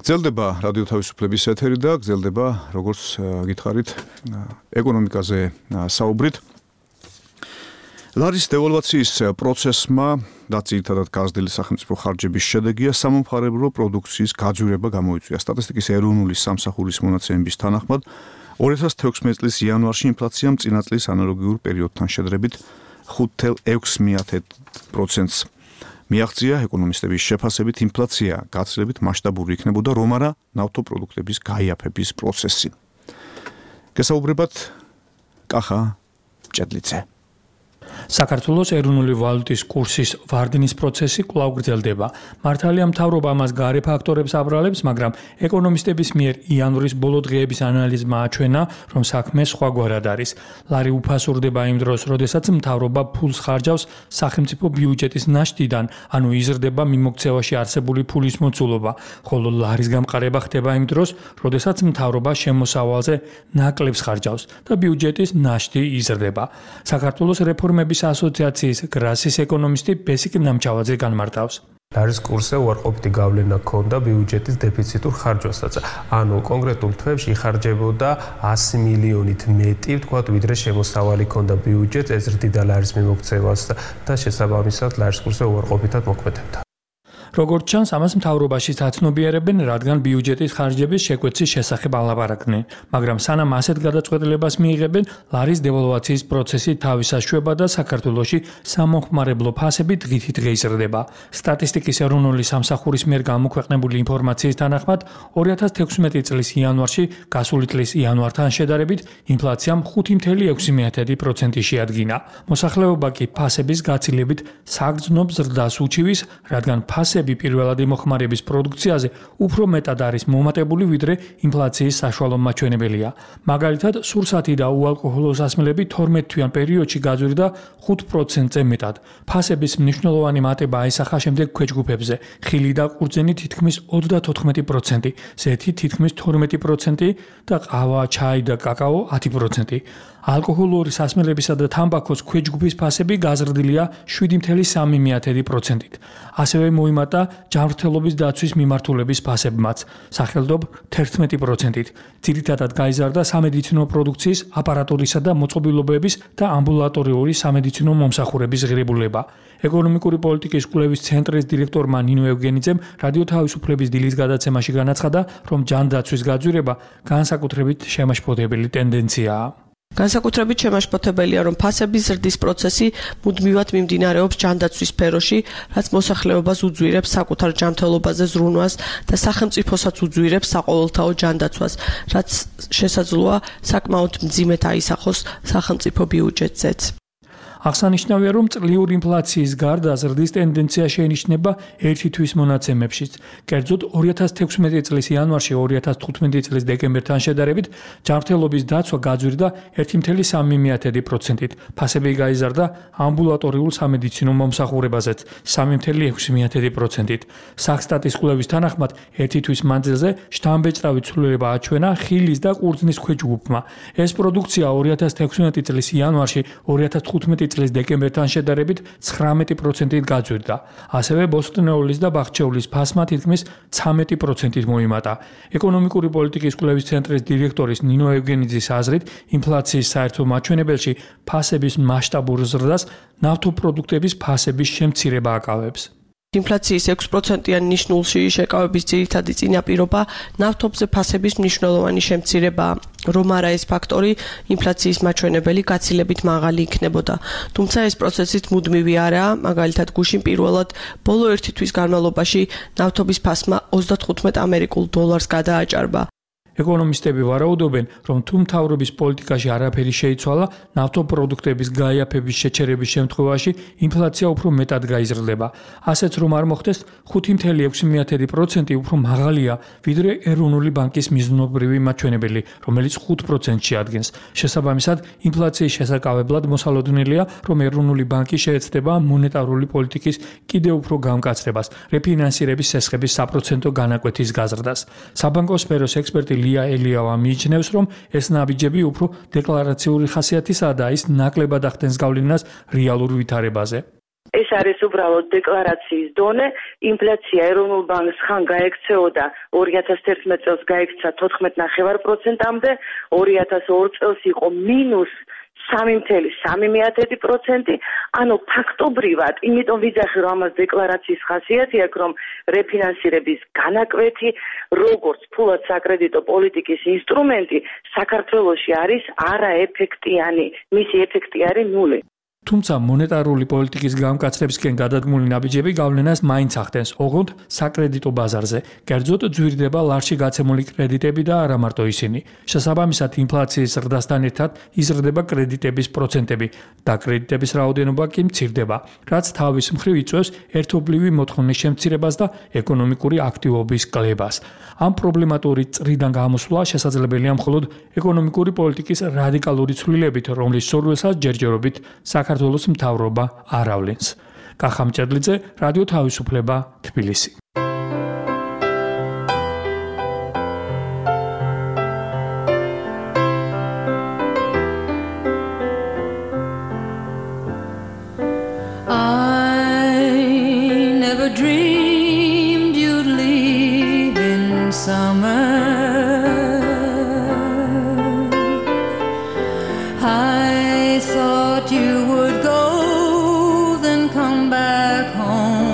გრძელდება რადიო თავისუფლების ეთერი და გრძელდება, როგორც გითხარით, ეკონომიკაზე საუბრით. ლარის დევალვაციის პროცესმა და ძირითადად გაზრდილი სახელმწიფო ხარჯების შედეგია სამომხმარებლო პროდუქციის გაძვირება გამოიწვია. სტატისტიკის ეროვნული სამსახურის მონაცემების თანახმად ორი ათას თექვსმეტი წლის იანვარში ინფლაციამ წინა წლის ანალოგიურ პერიოდთან შედარებით ხუთ ათას ექვსი პროცენტს მიაღწია. ეკონომისტების შეფასებით ინფლაცია გაცილებით მასშტაბური იქნებოდა, რომ არა ნავთობპროდუქტების გაიაფების პროცესი. გესაუბრებათ კახა ჭედლიძე. საქართველოს ეროვნული ვალუტის კურსის ვარდნის პროცესი კვლავ გრძელდება. მართალია მთავრობა ამას გარე ფაქტორებს აბრალებს, მაგრამ ეკონომისტების მიერ იანვრის ბოლო დღეების ანალიზმა აჩვენა, რომ საქმე სხვაგვარად არის. ლარი უფასურდება იმ დროს, როდესაც მთავრობა ფულს ხარჯავს სახელმწიფო ბიუჯეტის ნაშთიდან, ანუ იზრდება მიმოქცევაში არსებული ფულის მოცულობა, ხოლო ლარის გამყარება ხდება იმ დროს, როდესაც მთავრობა შემოსავალზე ნაკლებს ხარჯავს და ბიუჯეტის ნაშთი იზრდება. საქართველოს რეფორმების ასოციაციის გრასის ეკონომისტი ბესიკ ნამჩავაძე განმარტავს. ლარის კურსზე უარყოფითი გავლენა ჰქონდა ბიუჯეტის დეფიციტურ ხარჯვასაც. ანუ კონკრეტულ თვეებში იხარჯებოდა ასი მილიონით მეტი, ვთქვათ, ვიდრე შემოსავალი ჰქონდა ბიუჯეტს, ეზრდიდა ლარის მიმოქცევას და შესაბამისად ლარის კურსზე უარყოფითად მოქმედებდა. როგორც ჩანს, ამას მთავრობაში აცნობიერებენ, რადგან ბიუჯეტის ხარჯების შეკვეცის შესახებ ალაპარაკდნენ, მაგრამ სანამ ასეთ გადაწყვეტილებას მიიღებენ, ლარის დევალვაციის პროცესი თავისაშვება და საქართველოში სამომხმარებლო ფასები დღითი დღე იზრდება. სტატისტიკის ეროვნული სამსახურის მიერ გამოქვეყნებული ინფორმაციის თანახმად, ორი ათას თექვსმეტი წლის იანვარში გასული წლის იანვართან შედარებით ინფლაციამ ხუთი ათას ექვსი პროცენტი შეადგინა. მოსახლეობა კი ფასების გაცილებით საგრძნობ ზრდას უჩივის, რადგან ფასები პირველადი მოხმარების პროდუქციაზე უფრო მეტად არის მომატებული, ვიდრე ინფლაციის საშუალო მაჩვენებელია. მაგალითად, სურსათი და უალკოჰოლო სასმელები თორმეტ თვიან პერიოდში გაძვირდა ხუთ პროცენტზე მეტად. ფასების მნიშვნელოვანი მატება აისახა შემდეგ ქვეჯგუფებზე: ხილი და ყურძენი თითქმის ოცდათოთხმეტი პროცენტი, ზეთი თითქმის თორმეტი პროცენტი და ყავა, ჩაი და კაკაო ათი პროცენტი. ალკოჰოლური სასმელებისა და თამბაქოს ქვეჯგუფის ფასები გაზრდილია შვიდი ათას სამი პროცენტით. ასევე მოიმატა ჯანმრთელობის დაცვის მიმართულების ფასებმაც, სახელდობ თერთმეტი პროცენტით. ძირითადად გაიზარდა სამედიცინო პროდუქციის, აპარატურისა და მოწყობილობების და ამბულატორიული სამედიცინო მომსახურების ღირებულება. ეკონომიკური პოლიტიკის კვლევის ცენტრის დირექტორმა ნინო ევგენიძემ რადიო თავისუფლების დილის გადაცემაში განაცხადა, რომ ჯანდაცვის გაძვირება განსაკუთრებით შემაშფოთებელი ტენდენციაა. განსაკუთრებით შემაშფოთებელია, რომ ფასების ზრდის პროცესი მუდმივად მიმდინარეობს ჯანდაცვის სფეროში, რაც მოსახლეობას უძვირებს საკუთარ ჯანმრთელობაზე ზრუნვას და სახელმწიფოსაც უძვირებს საყოველთაო ჯანდაცვას, რაც შესაძლოა საკმაოდ მძიმედ აისახოს სახელმწიფო ბიუჯეტზეც. აღსანიშნავია, რომ წლიური ინფლაციის გარდა ზრდის ტენდენცია შეინიშნება ერთი თვის მონაცემებშიც. კერძოდ, ორი ათას თექვსმეტი წლის იანვარში ორი ათას თხუთმეტი წლის დეკემბერთან შედარებით ჯანმრთელობის დაცვა გაძვირდა ერთი ათას სამი პროცენტით. ფასები გაიზარდა ამბულატორიულ სამედიცინო მომსახურებაზეც სამი ათას ექვსი პროცენტით. სახსტატის კვლევის თანახმად, ერთი თვის მანძილზე შთამბეჭდავი ცვლილება აჩვენა ხილის და ყურძნის ქვეჯგუფმა. ეს პროდუქცია ორი ათას თექვსმეტი წლის იანვარში ორი ათას თხუთმეტი წლის დეკემბერთან შედარებით ცხრამეტი პროცენტით გაძვირდა. ასევე ბოსტნეულის და ბახჩეულის ფასმა თითქმის ცამეტი პროცენტით მოიმატა. ეკონომიკური პოლიტიკის კვლევის ცენტრის დირექტორის ნინო ევგენიძის აზრით, ინფლაციის საერთო მაჩვენებელში ფასების მასშტაბურ ზრდას ნავთობპროდუქტების ფასების შემცირება აკავებს. ინფლაციის ექვსი პროცენტიანი ნიშნულში შეკავების ძირითადი წინაპირობა ნავთობზე ფასების მნიშვნელოვანი შემცირებაა, რომ არა ეს ფაქტორი ინფლაციის მაჩვენებელი გაცილებით მაღალი იქნებოდა. თუმცა ეს პროცესიც მუდმივი არაა, მაგალითად გუშინ პირველად ბოლო ერთი თვის განმავლობაში ნავთობის ფასმა ოცდათხუთმეტ ამერიკულ დოლარს გადააჭარბა. ეკონომისტები ვარაუდობენ, რომ თუ მთავრობის პოლიტიკაში არაფერი შეიცვალა, ნავთობპროდუქტების გაიაფების შეჩერების შემთხვევაში ინფლაცია უფრო მეტად გაიზრდება. ასეც რომ არ მოხდეს, ხუთი წუთი ექვსი პროცენტი უფრო მაღალია, ვიდრე ეროვნული ბანკის მიზნობრივი მაჩვენებელი, რომელიც ხუთ პროცენტს შეადგენს. შესაბამისად, ინფლაციის შესაკავებლად მოსალოდნელია, რომ ეროვნული ბანკი შეეცდება მონეტარული პოლიტიკის კიდევ უფრო გამკაცრებას, რეფინანსირების სესხების საპროცენტო განაკვეთის გაზრდას. საბანკო სფეროს ექსპერტი ლია ელიავა მიიჩნევს, რომ ეს ნაბიჯები უფრო დეკლარაციული ხასიათისაა და ის ნაკლებად ახდენს გავლენას რეალურ ვითარებაზე. ეს არის უბრალოდ დეკლარაციის დონე. ინფლაცია ეროვნულ ბანკს ხან გაექცეოდა ორი ათას თერთმეტ წელს გაექცა თოთხმეტ ნახევარ პროცენტამდე, ორი ათას ორ წელს იყო მინუს სამი წუთი სამი პროცენტი, ანუ ფაქტობრივად, იმიტომ ვიძახი რომ ამას დეკლარაციის ხასიათი აქვს, რომ რეფინანსირების განაკვეთი, როგორც ფულად საკრედიტო პოლიტიკის ინსტრუმენტი, საქართველოში არის არაეფექტიანი, მისი ეფექტი არის ნული. თუმცა მონეტარული პოლიტიკის გამკაცრებისკენ გადადგმული ნაბიჯები გავლენას მაინც ახდენს, ოღონდ საკრედიტო ბაზარზე. კერძოდ ძვირდება ლარში გაცემული კრედიტები და არა მარტო ისინი. შესაბამისად, ინფლაციის ზრდასთან ერთად იზრდება კრედიტების პროცენტები და კრედიტების რაოდენობა კი მცირდება, რაც თავის მხრივ იწვევს ერთობლივი მოთხოვნის შემცირებას და ეკონომიკური აქტივობის კლებას. ამ პრობლემატური წრიდან გამოსვლა შესაძლებელია მხოლოდ ეკონომიკური პოლიტიკის რადიკალური ცვლილებით, რომლის სურვილსაც ჯერჯერობით საქართველოს მთავრობა არ ავლენს. კახა მჭედლიძე, რადიო თავისუფლება, თბილისი. Home.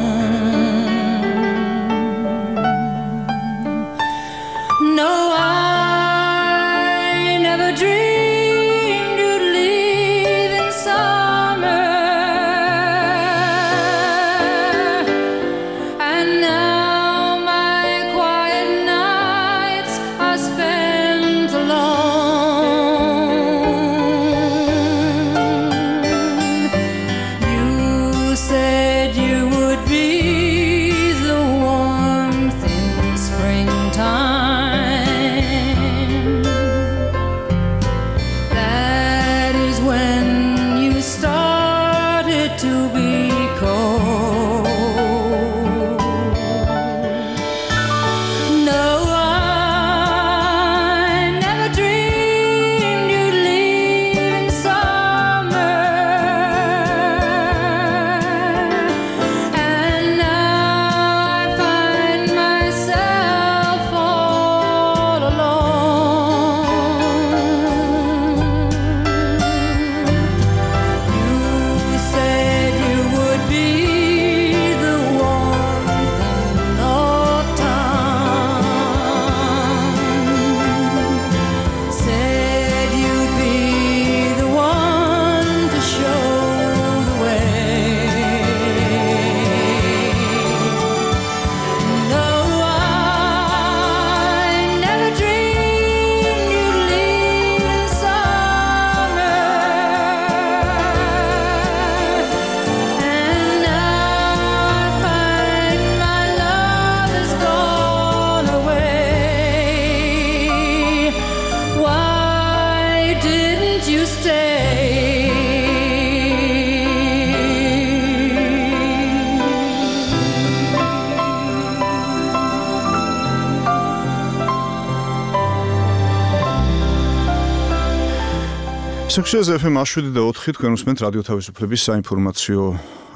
ასექშეს ეფ ემ შვიდი და ოთხი თქვენ უსმენთ რადიო თავისუფლების საინფორმაციო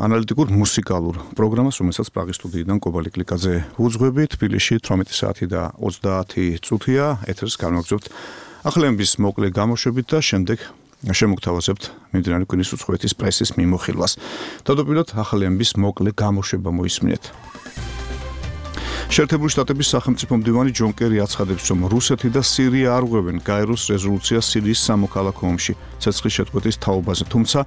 ანალიტიკურ მუსიკალურ პროგრამას, რომელსაც პრაღის სტუდიიდან კობალი კლიკაძე უძღვებით. თბილისში თვრამეტი საათი და ოცდაათი წუთია. ეთერს განვაგრძობთ ახალების მოკლე გამოშვებით და შემდეგ შემოგთავაზებთ მიმდინარე კვირის უცხოეთის პრესის მიმოხილვას. თავდაპირველად ახალების მოკლე გამოშვება მოისმინეთ. შეერთებული შტატების სახელმწიფო მდივანი ჯონ კერი აცხადებს, რომ რუსეთი და სირია არ ღვევენ გაეროს რეზოლუციას სირიის სამოქალაქო ომში ცეცხლის შეწყვეტის თაობაზე, თუმცა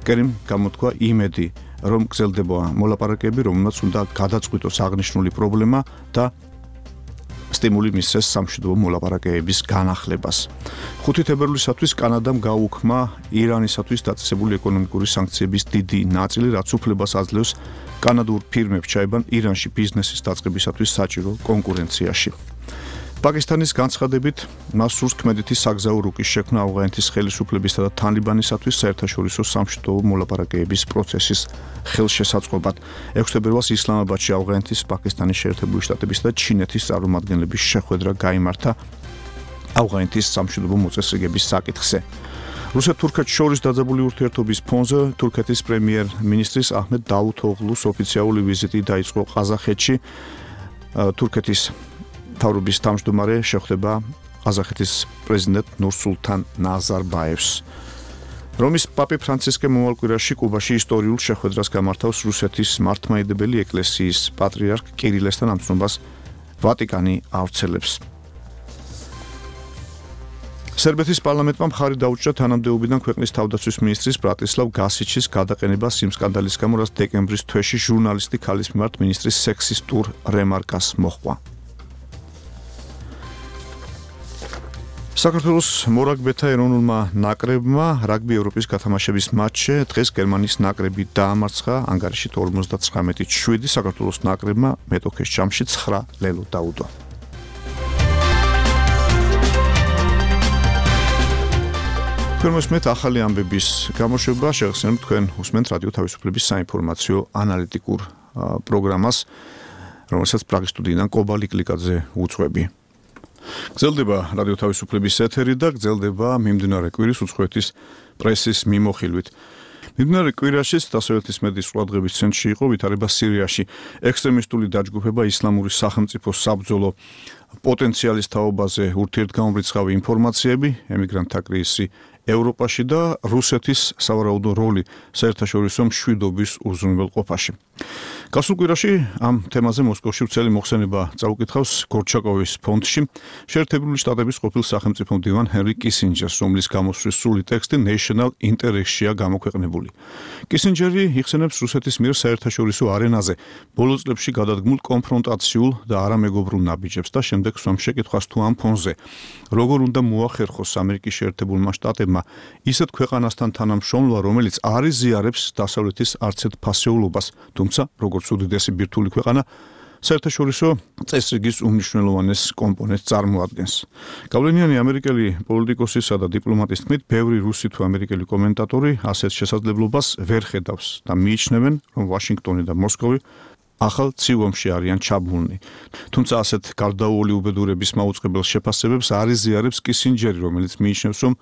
კერიმ გამოთქვა იმედი, რომ გრძელდება მოლაპარაკებები, რომელმაც უნდა გადაწყვიტოს აღნიშნული პრობლემა და სტიმული მისცეს სამშვიდობო მოლაპარაკებების განახლებას. ხუთი თებერვლისათვის კანადამ გაუქმა ირანისათვის დაწესებული ეკონომიკური სანქციების დიდი ნაწილი, რაც უფლებას აძლევს კანადურ ფირმებს ჩაებან ირანში ბიზნესის დაწყებისათვის საჭირო კონკურენციაში. პაკისტანის განცხადებით, მას სურს ქმედითი საგზაო რუკის შექმნა ავღანეთის ხელისუფლებისა და თალიბანისათვის საერთაშორისო სამშვიდობო მოლაპარაკებების პროცესის ხელშესაწყობად. ექვსი თებერვალს ისლამაბადში ავღანეთის, პაკისტანის შეერთებული შტატებისა და ჩინეთის წარმომადგენლების შეხვედრა გაიმართა ავღანეთის სამშვიდობო მოწესრიგების საკითხზე. რუსეთ-თურქეთს შორის დაძაბული ურთიერთობის ფონზე თურქეთის პრემიერ-მინისტრის აჰმედ დავუთოღლუს ოფიციალური ვიზიტი დაიწყო ყაზახეთში. თურქეთის თავრობის თავმჯდომარე შეხვდება ყაზახეთის პრეზიდენტ ნურსულთან ნაზარბაევს. რომის პაპი ფრანცისკე მომავალ კვირაში კუბაში ისტორიულ შეხვედრას გამართავს რუსეთის მართლმადიდებელი ეკლესიის პატრიარქ კირილესთან, ამ ცნობას ვატიკანი ავრცელებს. სერბეთის პარლამენტმა მხარი დაუჭრა თანამდებობიდან ქვეყნის თავდაცვის მინისტრის ბრატისლავ გასიჩის გადაყენებას იმ სკანდალის გამო, რაც დეკემბრის თვეში ჟურნალისტი ქალის მიმართ მინისტრის სექსისტურ რემარკას მოჰყვა. საქართველოს მორაგბეთა ეროვნულმა ნაკრებმა რაგბი ევროპის გათამაშების მატჩზე დღეს გერმანიის ნაკრები დაამარცხა ანგარიშით ორმოცდაცხრამეტი შვიდი. საქართველოს ნაკრებმა მეტოქეს ჯამში ცხრა ლელო დაუდო. თქვენ მოსმენთ ახალი ამბების გამოშვება, შეგახსენებთ თქვენ უსმენთ რადიო თავისუფლების საინფორმაციო ანალიტიკურ პროგრამას, რომელსაც პრაღის სტუდიიდან კობალი კლიკაძე უძღვები. გრძელდება რადიო თავისუფლების ეთერი და გრძელდება მიმდინარე კვირის უცხოეთის პრესის მიმოხილვით. მიმდინარე კვირაშიც დასავლეთის მედიის ყურადღების ცენტრში იყო ვითარება სირიაში. ექსტრემისტული დაჯგუფება ისლამური სახელმწიფოს საბრძოლო პოტენციალის თაობაზე ურთიერთგამომრიცხავი ინფორმაციები, ემიგრანტთა კრიზისი ევროპაში და რუსეთის სავარაუდო როლი საერთაშორისო მშვიდობის უზრუნველყოფაში. გასულ კვირაში ამ თემაზე მოსკოვში ვრცელი მოხსენება წაუკითხავს გორჩაკოვის ფონდში შეერთებული შტატების ყოფილ სახელმწიფო მდივან ჰენრი კისინჯერს, რომლის გამოსვლის სრული ტექსტი National Interest-ია გამოქვეყნებული. კისინჯერი იხსენებს რუსეთის მიერ საერთაშორისო არენაზე ბოლო წლებში გადადგმულ კონფრონტაციულ და არამეგობრულ ნაბიჯებს და შემდეგ სვამ შეკითხვას თუ ამ ფონზე როგორ უნდა მოახერხოს ამერიკის შეერთებულმა შტატებმა ისეთ ქვეყანასთან თანამშრომლობა, რომელიც არ იზიარებს დასავლეთის არცერთ ფასეულობას, თუმცა როგორც უდიდესი ბირთვული ქვეყანა საერთაშორისო წესრიგის უმნიშვნელოვანეს კომპონენტს წარმოადგენს. გავლენიანი ამერიკელი პოლიტიკოსისა და დიპლომატის თქმით, ბევრი რუსი თუ ამერიკელი კომენტატორი ასეთ შესაძლებლობას ვერ ხედავს და მიიჩნევენ, რომ ვაშინგტონი და მოსკოვი ახალ ცივომში არიან ჩაბმულნი. თუმცა ასეთ გარდაუვალი უბედურების მაუწყებელ შეფასებებს არ იზიარებს კისინჯერი, რომელიც მიიჩნევს, რომ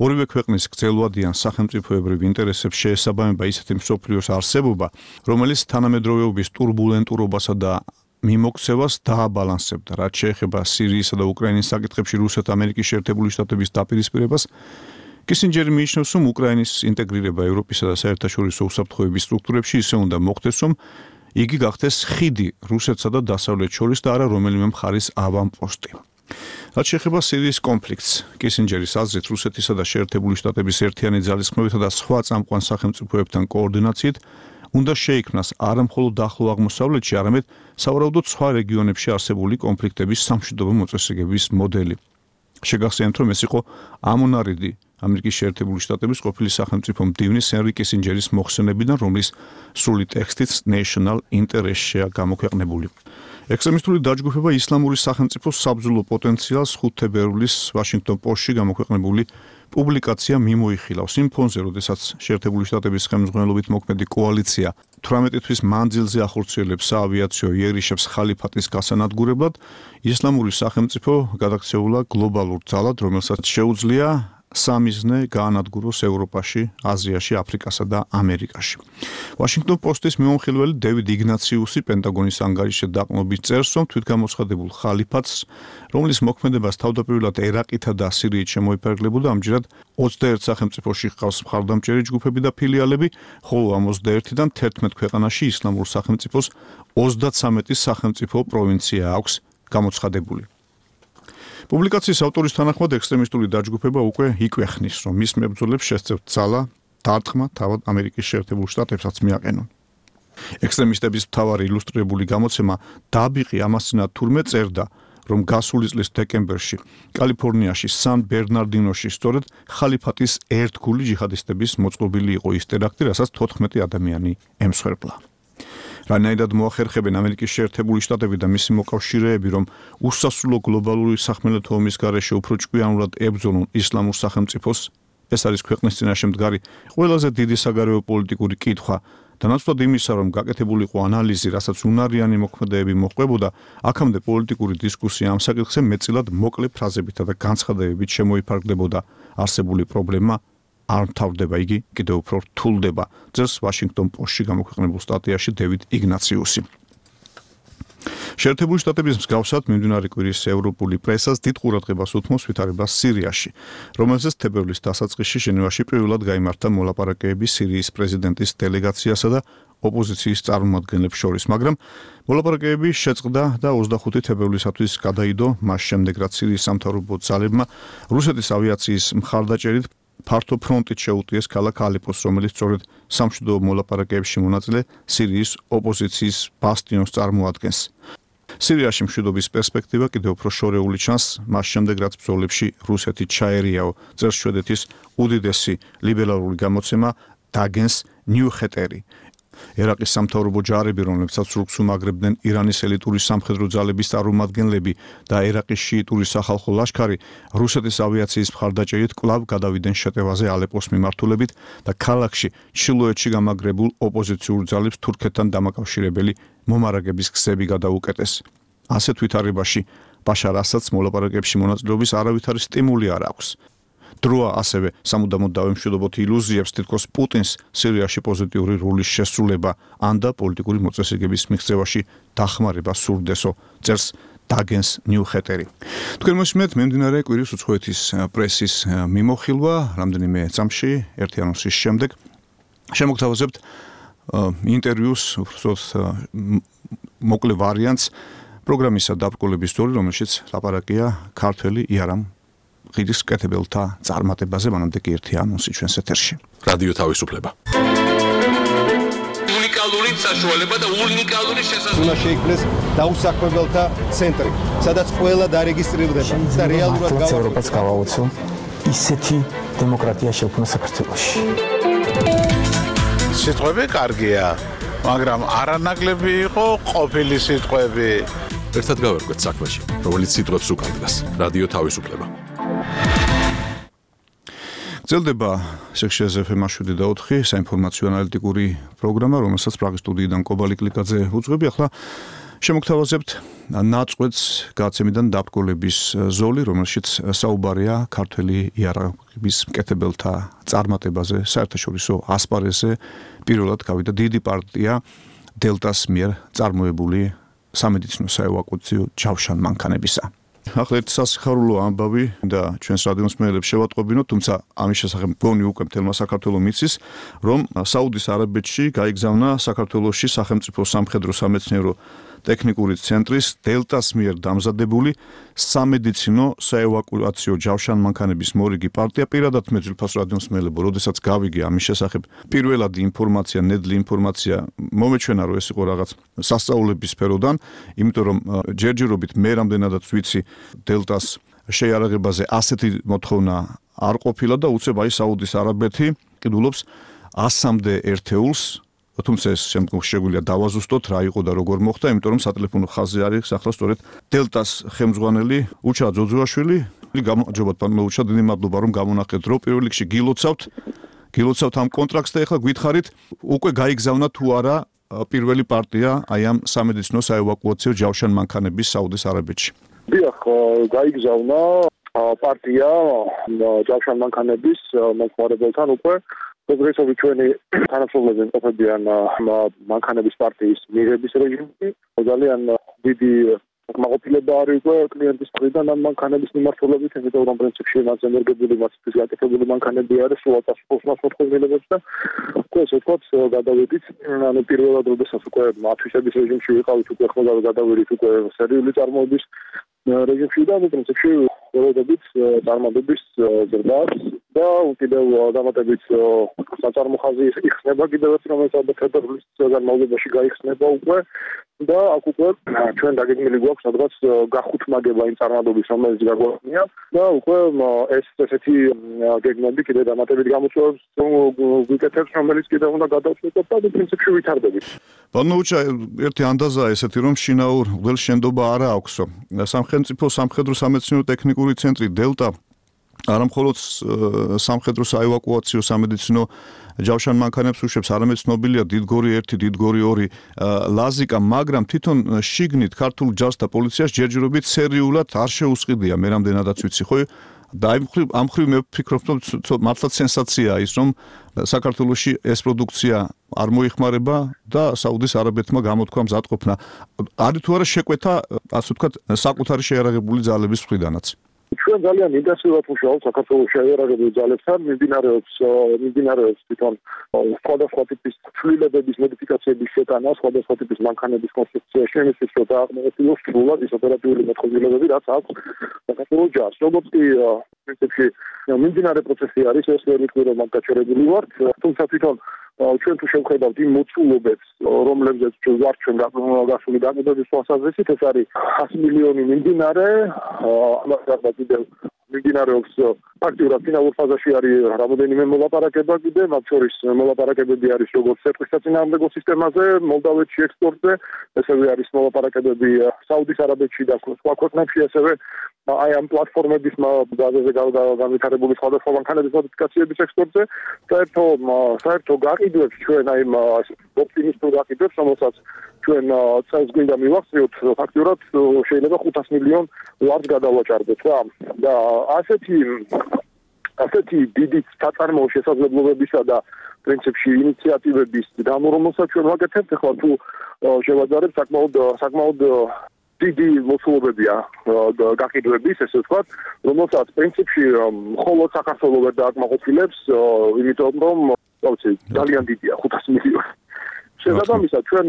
ორივე ქვეყნის გრძელვადიან სახელმწიფოებრივ ინტერესებს შეესაბამება ისეთი მსოფლიოს არსებობა, რომელიც თანამედროვეობის ტურბულენტურობასა და მიმოქცევას დააბალანსებდა, რაც შეეხება სირიისა და უკრაინის საკითხებში რუსეთ-ამერიკის შეერთებული შტატების დაპირისპირებას. კისინჯერი მიიჩნევს, რომ უკრაინის ინტეგრირება ევროპისა და საერთაშორისო უსაფრთხოების სტრუქტურებში ისე უნდა მოხდეს, რომ იგი გახდეს ხიდი რუსეთსა და დასავლეთს შორის და არა რომელიმე მხარის ავანპოსტი. რაც შეეხება სირიის კონფლიქტს, კისინჯერის აზრით რუსეთისა და შეერთებული შტატების ერთიანი ძალისხმევითა და სხვა წამყვან სახელმწიფოებთან კოორდინაციით უნდა შეიქმნას არა მხოლოდ ახლო აღმოსავლეთში, არამედ სავარაუდოდ სხვა რეგიონებში არსებული კონფლიქტების სამშვიდობო მოწესრიგების მოდელი. შეგახსენებთ, რომ ეს იყო ამონარიდი ამერიკის შეერთებული შტატების ყოფილი სახელმწიფო მდივნის ჰენრი კისინჯერის მოხსენებიდან, რომლის სრული ტექსტიც National Interest-ია გამოქვეყნებული. ექსტრემისტული დაჯგუფება ისლამური სახელმწიფოს საბრძოლო პოტენციალს ხუთი თებერვლის ვაშინგტონ პოსტში გამოქვეყნებული პუბლიკაცია მიმოიხილავს. იმ ფონზე, როდესაც შეერთებული შტატების ხელმძღვანელობით მოქმედი კოალიცია თვრამეტი თვის მანძილზე ახორციელებს საავიაციო იერიშებს ხალიფატის გასანადგურებლად, ისლამური სახელმწიფო გადაქცეულა გლობალურ ძალად, რომელსაც შეუძლია სამიზნე გაანადგუროს ევროპაში, აზიაში, აფრიკასა და ამერიკაში. Washington Post-ის მიმოხილველი დევიდ იგნაციუსი პენტაგონის ანგარიშზე დაყრდნობით წერს, რომ თვითგამოცხადებულ ხალიფათს, რომლის მოქმედებას თავდაპირველად ერაყითა და სირიით შემოიფარგლებოდა, ამჯერად ოცდაერთ სახელმწიფოში ჰყავს მხარდამჭერი ჯგუფები და ფილიალები, ხოლო ამ ოცდაერთიდან თერთმეტ ქვეყანაში ისლამურ სახელმწიფოს ოცდაცამეტი სახელმწიფო პროვინცია აქვს გამოცხადებული. Პუბლიკაციის ავტორის თანახმად ექსტრემისტული დაჯგუფება უკვე იკვეხნის, რომ მის მებრძოლებს შესწევთ ძალა, დარტყმა თავად ამერიკის შეერთებულ შტატებსაც მიაყენონ. ექსტრემისტების მთავარი ილუსტრირებული გამოცემა დაბიყი ამასწინათ თურმე წერდა, რომ გასული წლის დეკემბერში კალიფორნიაში სან ბერნარდინოში სწორედ ხალიფატის ერთგული ჯიჰადისტების მოწყობილი იყო ის ტერაქტი, რასაც თოთხმეტი ადამიანი ემსხვერპლა. რანაირად მოახერხებენ ამერიკის შეერთებული შტატები და მისი მოკავშირეები, რომ უსასრულო გლობალური სახმელეთო ომის გარეშე უფრო ჭკვიანურად ებრძოლონ ისლამურ სახელმწიფოს, ეს არის ქვეყნის წინაშე მდგარი ყველაზე დიდი საგარეო პოლიტიკური კითხვა და ნაცვლად იმისა, რომ გაკეთებულიყო ანალიზი, რასაც უნარიანი მოქმედებები მოჰყვებოდა, აქამდე პოლიტიკური დისკუსია ამ საკითხზე მეტწილად მოკლე ფრაზებითა და განცხადებებით შემოიფარგლებოდა. არსებული პრობლემა არ მთავრდება, იგი კიდევ უფრო რთულდება, წერს Washington Post-ში გამოქვეყნებულ სტატიაში დევიდ იგნაციუსი. შეერთებული შტატების მსგავსად მიმდინარე კვირის ევროპული პრესას დიდ ყურადღებას უთმობს ვითარებას სირიაში, რომელზეც თებერვლის დასაწყისში ჟენევაში პირველად გაიმართა მოლაპარაკებები სირიის პრეზიდენტის დელეგაციასა და ოპოზიციის წარმომადგენლებს შორის, მაგრამ მოლაპარაკებები შეწყდა და ოცდახუთი თებერვლისათვის გადაიდო, მას შემდეგ რაც სირიის სამთავრობო ძალებმა რუსეთის ავიაციის მხარდაჭერით ფართო ფრონტით შეუტიეს ქალაქ ალეპოს, რომელიც სწორედ სამშვიდობო მოლაპარაკებებში მონაწილე სირიის ოპოზიციის ბასტიონს წარმოადგენს. სირიაში მშვიდობის პერსპექტივა კიდევ უფრო შორეული ჩანს, მას შემდეგ რაც ბრძოლებში რუსეთი ჩაერიაო, წერს შვედეთის უდიდესი ლიბერალური გამოცემა დაგენს ნიუხეტერი. ერაყის სამთავრობო ჯარები, რომლებსაც სრულს უმაგრებდნენ ირანის ელიტური სამხედრო ძალების წარმომადგენლები და ერაყის შიიტური სახალხო ლაშქარი, რუსეთის ავიაციის მხარდაჭერით კვლავ გადავიდნენ შეტევაზე ალეპოს მიმართულებით და ქალაქში ჩრდილოეთში გამაგრებულ ოპოზიციურ ძალებს თურქეთთან დამაკავშირებელი მომარაგების გზები გადაუკეტეს. ასეთ ვითარებაში ბაშარ ასადს მოლაპარაკებებში მონაწილეობის არავითარი სტიმული არ აქვს. დროა ასევე სამუდამოდ დავემშვიდობოთ ილუზიებს, თითქოს პუტინს სირიაში პოზიტიური როლის შესრულება ან და პოლიტიკური მოწესრიგების მიღწევაში დახმარება სურდესო, წერს დაგენს ნიუხეტერი. თქვენ მოსმენთ მიმდინარე კვირის უცხოეთის პრესის მიმოხილვა, რამდენიმე წამში, ერთი ანონსის შემდეგ. შემოგთავაზებთ ინტერვიუს, უბრალოდ მოკლე ვარიანტს პროგრამისა დაბრკოლების დრო, რომელშიც ლაპარაკია ქართველი იარამ ღირის კეთებელთა წარმატებაზე, მანამდე კი ერთი ანონსი ჩვენს ეთერში. რადიო თავისუფლება. უნიკალური საშუალება და უნიკალური შესაძლებლობა. უნდა შეიქმნეს დაუსაქმებელთა ცენტრი, სადაც ყველა დარეგისტრირდება და რეალურად გავა ევროპას გავაოცო ისეთი დემოკრატია შექმნა საქართველოში. სიტყვები კარგია, მაგრამ არანაკლები იყო ყოფილი სიტყვები. ერთად გავერკვეთ საქმეში, რომელიც სიტყვებს უკავშირდება. რადიო თავისუფლება. გრძელდება სექშიას ეფ ემ შვიდი და ოთხი საინფორმაციო ანალიტიკური პროგრამა, რომელსაც პრაღის სტუდიიდან კობალი კლიკაძე უძღვები. ახლა შემოგთავაზებთ ნაწყვეტს გაცემიდან დაბრკოლების ზოლი, რომელშიც საუბარია ქართველი იარაღების მკეთებელთა წარმატებაზე, საერთაშორისო ასპარეზზე. პირველად გავიდა დიდი პარტია დელტას მიერ წარმოებული სამედიცინო საევაკუაციო ჯავშანმანქანებისა. ახლა ერთ სასიხარულო ამბავი და ჩვენს რადიოს მსმენელებს შევატყობინოთ, თუმცა ამის შესახებ მგონი უკვე მთელმა საქართველოს მიცის, რომ საუდის არაბეთში გაიგზავნა საქართველოში სახელმწიფო სამხედრო სამეცნიერო ტექნიკური ცენტრის დელტას მიერ დამზადებული სამედიცინო საევაკუაციო ჯავშანმანქანების მორიგი პარტია. პირადად მე ძილფას რადიოს მსმენელებო, როდესაც გავიგე ამის შესახებ პირველადი ინფორმაცია, ნედლი ინფორმაცია მომეჩვენა, რომ ეს იყო რაღაც სასწაულების სფეროდან, იმიტომ რომ ჯერჯერობით მე რამდენადაც ვიცი დელტას შეიარაღებაზე ასეთი მოთხოვნა არ ყოფილა და უცებ აი საუდის არაბეთი ყიდულობს ასამდე ერთეულს, თუმცა ეს შემდგომ შეგვიძლია დავაზუსტოთ რა იყო და როგორ მოხდა, იმიტომ რომ სატელეფონო ხაზზე არის ახლა სწორედ დელტას ხელმძღვანელი უჩა ძოძუაშვილი. გამარჯობა პანო უჩა, დიდი მადლობა რომ გამონახეთ დრო. პირველ რიგში გილოცავთ, გილოცავთ ამ კონტრაქტს და ახლა გითხარით უკვე გაიგზავნა თუ არა პირველი პარტია აი ამ სამედიცინო საევაკუაციო ჯავშანმანქანების საუდის არაბეთში. დიახ, გაიგზავნა პარტია ჯავშან მანქანების მომხმარებელთან უკვე პროგრესული ჩვენი თანამშრომლები იმყოფებიან მანქანების პარტიის მიღების რეჟიმში. ძალიან დიდი კმაყოფილება არის უკვე კლიენტის მხრიდან ამ მანქანების მიმართულებით, იმიტომ რომ პრინციპში მას ენერგეტიკული მასის გაკეთებული მანქანები არის, სულ ათასი მოთხოვნილებებს და უკვე ესე ვთქვათ, გადავედით, ანუ პირველად როდესაც უკვე ათვისების რეჟიმში ვიყავით, უკვე ხოლმე გადავედით უკვე სერიული წარმოების რეჟიმში და პრინციპში ველოდებით წარმატების ზრდას და კიდევ დამატებით საწარმო ხაზი იხსნება კიდევ ერთი რომელსაც ფედერალის განმავლობაში გაიხსნება უკვე და აქ უკვე ჩვენ დაგეგმილი გვაქვს სადღაც გახუთმაგება იმ წარმატების რომელიც გაგვაქვს და უკვე ეს ესეთი გეგმები კიდევ დამატებით გამოწვევს ვიკეთებს რომელიც კიდევ უნდა გადავწყვეტოთ და პრინციპში ვითარდებით. ბანოუჩა ერთი ანდაზაა ესეთი რომ შინაურ ველშენდობა არა აქვსო. სამხედრო სამხედრო სამეცნიერო ტექნიკური ცენტრი დელტა არამხოლოდ სამხედრო საევაკუაციო სამედიცინო ჯავშან მანქანებს უშვებს, არამედ ცნობილია დიდგორი ერთი, დიდგორი ორი ლაზიკა, მაგრამ თვითონ შიგნით ქართულ ჯარს და პოლიციას ჯერჯერობით სერიულად არ შეუსყიდია, მე რამდენადაც ვიცი, ხო? და ამ მხრივ მე ვფიქრობ, რომ მართლაც სენსაციაა ის, რომ საქართველოში ეს პროდუქცია არ მოიხმარება და საუდის არაბეთმა გამოთქვა მზადყოფნა. არის თუ არა შეკვეთა, ასე ვთქვათ, საკუთარი შეიარაღებული ძალების მხრიდანაც? ჩვენ ძალიან ინტენსიურად ვუშაობთ საქართველოს შეიარაღებულ ძალებთან, მიმდინარეობს მიმდინარეობს თვითონ სხვადასხვა ტიპის ცვლილებების მოდიფიკაციების შეტანა, სხვადასხვა ტიპის მანქანების კონსტრუქციაში, იმისთვის რომ დააღმოყოს სრულად ის ოპერატიული მოწყობილობები, რაც აქვს საქართველოს ჯარს. როგორც კი პრინციპში მიმდინარე პროცესი არის, ეს ვერ ვიტყვი რომ ამ გაჩერებული ვართ, თუმცა თვითონ ჩვენ თუ შევხედავთ იმ მოცულობებს, რომლებზეც ვართ ჩვენ გასული დაკვირვების თვალსაზრისით, ეს არის ათი მილიონი მიმდინარე, ამასთან კიდევ მიმდინარეობს აქტიურად ფინალურ ფაზაში არის რამოდენიმე მოლაპარაკება კიდე, მათ შორის მოლაპარაკებები არის როგორც სერტყის საწინააღმდეგო სისტემაზე, მოლდავეთში ექსპორტზე, ესევე არის მოლაპარაკებები საუდის არაბეთში და სხვა ქვეყნებში, ესევე აი ამ პლატფორმების ბაზაზე განვითარებული სხვადასხვა მანქანების მოდიფიკაციების ექსპორტზე, საერთო საერთო გაყიდვებს ჩვენ აი ოპტიმისტურ გაყიდვებს, რომელსაც ჩვენ წელს გვინდა მივახციოთ, ფაქტურად შეიძლება ხუთას მილიონ ლარს გადავაჭარბოთ რა. და ასეთი ასეთი დიდი საწარმოო შესაძლებლობებისა და პრინციპში ინიციატივების გამორომოსაც ჩვენ ვაკეთებთ, ახლა თუ შევაძარებთ საკმაოდ საკმაოდ დიდი მოცულობებია გაყიდვების, ესე ვთქვათ, რომელსაც პრინციპში მხოლოდ საქართველოს ვერ დააკმაყოფილებს, იმიტომ რომ ვიცი, ძალიან დიდია ხუთას მილიონი. შესაბამისად, ჩვენ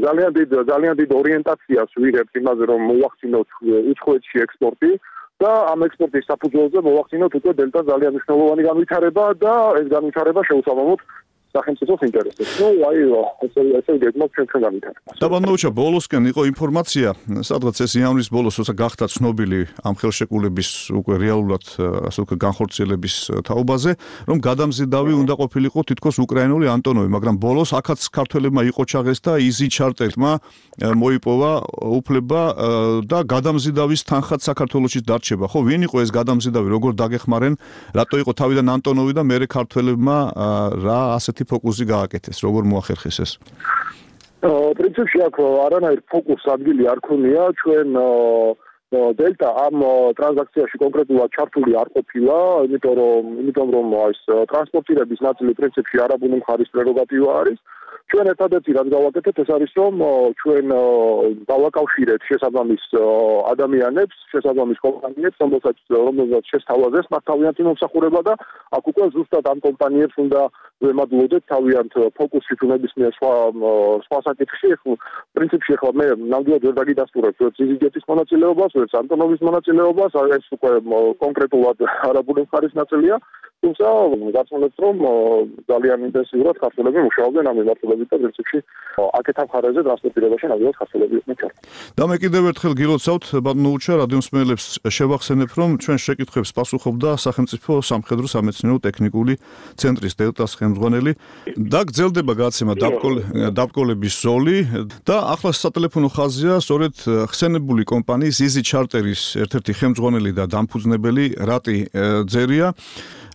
ძალიან დიდ ძალიან დიდ ორიენტაციას ვიღებთ იმაზე, რომ მოვახდინოთ უცხოეთში ექსპორტი და ამ ექსპორტის საფუძველზე მოვახდინოთ უკვე დელტა ძალიან მნიშვნელოვანი განვითარება და ეს განვითარება შეუსაბამოთ სახელმწიფოს ინტერესებს. ნუ აი ესე ესე გეგმავთ ჩვენ ჩვენ განვითარებას. და ბანოუჩა ბოლოსკენ იყო ინფორმაცია, სადღაც ეს იანვრის ბოლოს, როცა გახდა ცნობილი ამ ხელშეკრულების უკვე რეალურად ასე ვთქვათ განხორციელების თაობაზე, რომ გადამზიდავი უნდა ყოფილიყო თითქოს უკრაინული ანტონოვი, მაგრამ ბოლოს აქაც ქართველებმა იყოჩაღეს და იზი ჩარტელმა მოიპოვა უფლება და გადამზიდავის თანხად საქართველოში დარჩება. ხო, ვინ იყო ეს გადამზიდავი, როგორ დაგეხმარენ, რატო იყო თავიდან ანტონოვი და მერე ქართველებმა რა ასეთი ფოკუსი გააკეთეს, როგორ მოახერხეს ეს? პრინციპში აქ არანაირ ფოკუს ადგილი არ ქონია, ჩვენ დელტა ამ ტრანზაქციაში კონკრეტულად ჩართული არ ყოფილა, იმიტომ რომ იმიტომ რომ ეს ტრანსპორტირების ნაწილი პრინციპში არაბული მხარის პრეროგატივა არის. ჩვენ ერთადერთი რაც გავაკეთეთ, ეს არის რომ ჩვენ დავაკავშირეთ შესაბამის ადამიანებს, შესაბამის კომპანიებს, რომელსაც რომელსაც შესთავაზეს მათ თავიანთი მომსახურება და აქ უკვე ზუსტად ამ კომპანიებს უნდა ვემადლოდეთ თავიანთ ფოკუსში ნებისმიერ სხვა სხვა საკითხში. პრინციპში ახლა მე ნამდვილად ვერ დაგიდასტურებ ვერც იზიგეთის მონაწილეობას, ვერც ანტონოვის მონაწილეობას, ეს უკვე კონკრეტულად არაბული მხარის ნაწილია. თუმცა გასულებს რომ ძალიან ინტენსიურად ქართველები მუშაობდნენ ამ მიმართულებით და პრინციპში აქეთ ამ ხარაზე ტრანსპორტირებაში ნამდვილად ქართველები იყვნენ ჩართული. და მე კიდევ ერთხელ გილოცავთ ბანოუჩა რადიომსმენელებს შევახსენებ რომ ჩვენ შეკითხვებს პასუხობდა სახელმწიფო სამხედრო სამეცნიერო ტექნიკური ცენტრის დელტას ხელმძღვანელი და გრძელდება გადაცემა დაბკოლების ზოლი და ახლა სატელეფონო ხაზია სწორედ ხსენებული კომპანიის იზი ჩარტერის ერთ-ერთი ხელმძღვანელი და დამფუძნებელი რატი ძერია.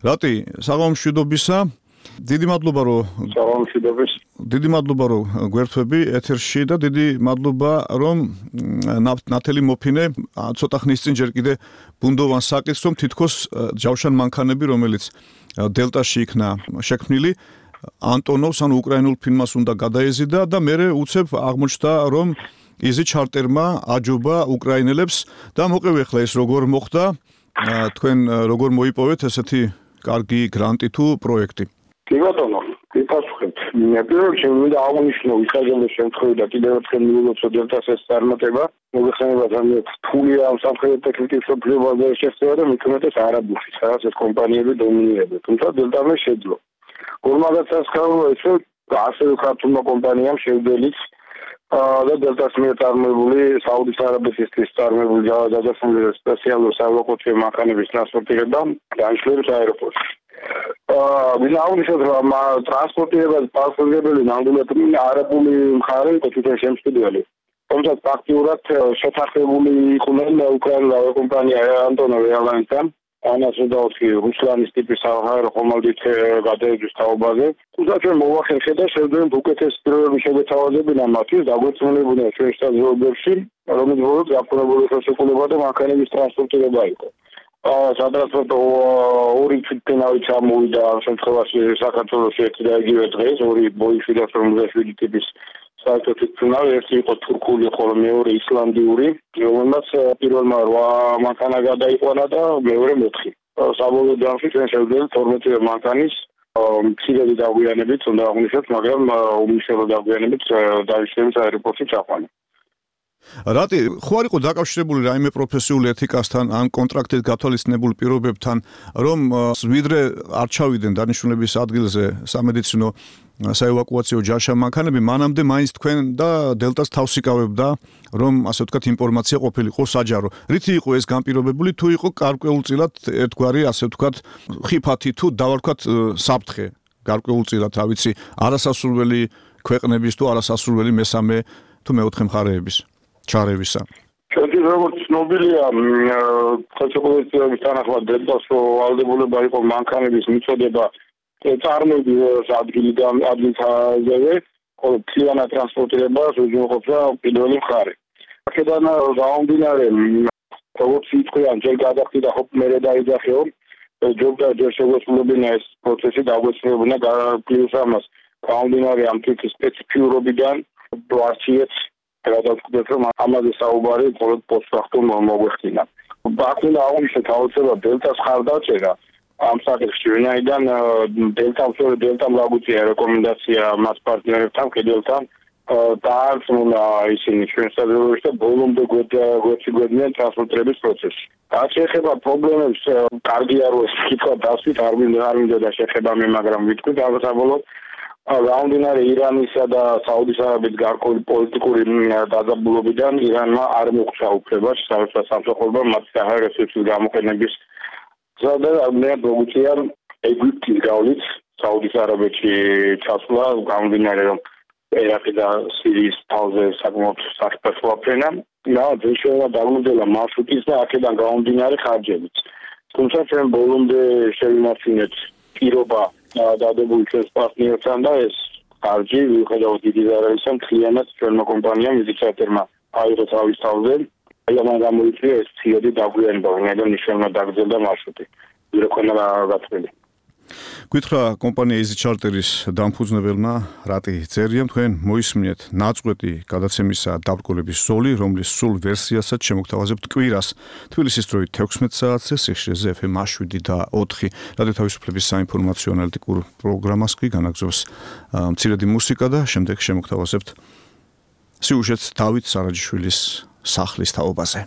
რატი, საღამო მშვიდობისა. დიდი მადლობა რომ საღამოშიდების. დიდი მადლობა რომ გვერდები ეთერში და დიდი მადლობა რომ ნათელი მოფინე ცოტა ხნის წინ ჯერ კიდე ბუნდოვან საკითხს რომ თითქოს ჯავშან მანქანები რომელიც დელტაში იქნა შექმნილი ანტონოვს ანუ უკრაინულ ფინმას უნდა გადაეზიდა და მე უცებ აღმოჩნდა რომ იზი ჩარტერმა აჯობა უკრაინელებს და მოყევი ახლა ეს როგორ მოხდა თქვენ როგორ მოიპოვეთ ესეთი კარგი გრანტი თუ პროექტი კი ბატონო კი პასუხობთ მე პირველ რიგში მინდა აღნიშნო ისაგების შემთხვევაში და კიდევ ერთხელ მიულოცო დელტას ეს წარმატება მოგეხსენება ძალიან რთულია ამ სამხედრო ტექნიკის პრობლემაზე შეეხება და მithumetes არაბულში სადაც ეს კომპანიები დომინირებენ თუმცა დელტამ შეძლო გორმაგაცას ხარო ესე ასევე ქართულმა კომპანიამ შევდელიც და დელტას მიერ წარმოებული საუდის არაბეთისთვის წარმოებული გადასული სპეციალური საავტომობილო მანქანების ტრანსპორტირება განშლებს აეროპორტში. აა ვინაუდისად რომ ტრანსპორტირება პასუხისმგებელი ნამდვილად არაბული მხარე იყო თვითონ შემსწრებელი. თუმცა ფაქტიურად შეთანხმებული იყვნენ უკრაინულ ავიაკომპანია ანტონოვ ერლაინსთან ანას უდაოსი რუსლანის ტიპის საჰაერო ხომალდით გადაეძვის თაობაზე. თუმცა ჩვენ მოვახერხეთ და შევძლებთ უკეთეს დროები შეგეთავაზებინა მათთვის დაგვეცნობებოდნენ ჩვენ შტაბ-ობიექტში, რომელიც ბოლოს გაფორმებული ხელშეკრულება და მანქანების ტრანსპორტირება იყო. აა სატრანსპორტო ორი თვითნავით ჩამოვიდა ამ შემთხვევაში საქართველოში ერთი და იგივე დღეს ორი ბოიში და ორმოცდაშვიდი ტიპის საერთო თვითმფრინავი ერთი იყო თურქული, ხოლო მეორე ისლანდიური, რომელმაც პირველმა რვა მანქანა გადაიყვანა და მეორე მეოთხე. საბოლოო ჯამში ჩვენ შევძლებთ თორმეტი მანქანის მცირედი დაგვიანებით უნდა აღვნიშნოთ, მაგრამ უმნიშვნელო დაგვიანებით დაიშლებს აეროპორტში ჩაყვანა. რატი ხო არ იყო დაკავშირებული რაიმე პროფესიული ეთიკასთან ან კონტრაქტით გათვალისწინებულ პირობებთან რომ ვიდრე არ ჩავიდნენ დანიშნულების ადგილზე სამედიცინო საევაკუაციო ჯაშა მანქანები მანამდე მაინც თქვენ და დელტას თავს იკავებდა რომ ასე ვთქვათ ინფორმაცია ყოფილიყო საჯარო რითი იყო ეს განპირობებული თუ იყო გარკვეულწილად ერთგვარი ასე ვთქვათ ხიფათი თუ დავარქვათ საფრთხე გარკვეულწილად რა ვიცი არასასურველი ქვეყნების თუ არასასურველი მესამე თუ მეოთხე მხარეების ჩარევისა. ჩვენი როგორც ცნობილია, ხელშეკრულების თანახმად დელტას ვალდებულება იყო მანქანების მიწოდება წარმოების ადგილიდან ადგილზე, ხოლო მთლიანად ტრანსპორტირებას უზრუნველყოფდა პირველი მხარე. აქედან გამომდინარე, როგორც ითქვიან, ჯერ გადახდიდა ხო მერე დაიძახეო, ჯობდა ჯერ შეგვეცვლებინა ეს პროცესი დაგვეცვლებინა პლუს ამას გამომდინარე ამ თვითი სპეციფიურობიდან ვარჩიეთ გადავწყვეტ რომ ამაზე საუბარი მხოლოდ პოსტფაქტუმ მოგვეხდინა. ბაქუნა აღნიშნეთ აუცილებლად დელტას ხარდაჭერა ამ საკითხში ვინაიდან დელტამ სწორედ დელტამ გაგვიწია რეკომენდაცია მას პარტნიორებთან კედელთან დაარწმუნა ისინი ჩვენს საზოგადოებაში და ბოლომდე გვეციგვედნენ ტრანსპორტირების პროცესში. რაც შეეხება პრობლემებს კარგია რომ ეს კითხვა დასვით არ მინდა არ მინდა და შეეხება მე მაგრამ ვიტყვით საბოლოოდ გამომდინარე ირანისა და საუდის არაბეთის გარკვეული პოლიტიკური დაძაბულობიდან ირანმა არ მოგვცა უფლება საერთოდ სამსახურებამ მათ საჰაეროსის გამოყენების ზადა მე მოგვიწია ეგვიპტის გავლით საუდის არაბეთში ჩასვლა გამომდინარე რომ ერაყი და სირიის თავზე საკმაოდ საფრთხეა ფრენა და ძირშევა დაგვიმძელა მარშრუტის და აქედან გამომდინარე ხარჯებიც თუმცა ჩვენ ბოლომდე შევიმართინეთ პირობა დადებული ჩვენს პარტნიორთან და ეს ხარჯი მიუხედავად დიდი ზარალისა მთლიანად ჩვენმა კომპანიამ იზიჩატერმა აიღო თავის თავზე აი ამან გამოიწვია ეს ცირედი დაგვიანება ვინაიდან მნიშვნელოვნად დაგრძელდა მარშრუტი ვიდრე ქონა გაწყვეტილი გითხრა კომპანია Easy Charter-ის დამფუძნებელმა რატი წერია თქვენ მოისმინეთ ნაწყვეტი გადაცემისა დაბრკოლების ზოლი რომლის სულ ვერსიასაც შემოგთავაზებთ კვირას თბილისის დროით თექვსმეტ საათზე სიხშირეზე ეფ ემ შვიდი და ოთხი რადიო თავისუფლების საინფორმაციო ანალიტიკურ პროგრამას კი განაგზობს მცირედი მუსიკა და შემდეგ შემოგთავაზებთ სიუჟეტს დავით სარაჯიშვილის სახლის თაობაზე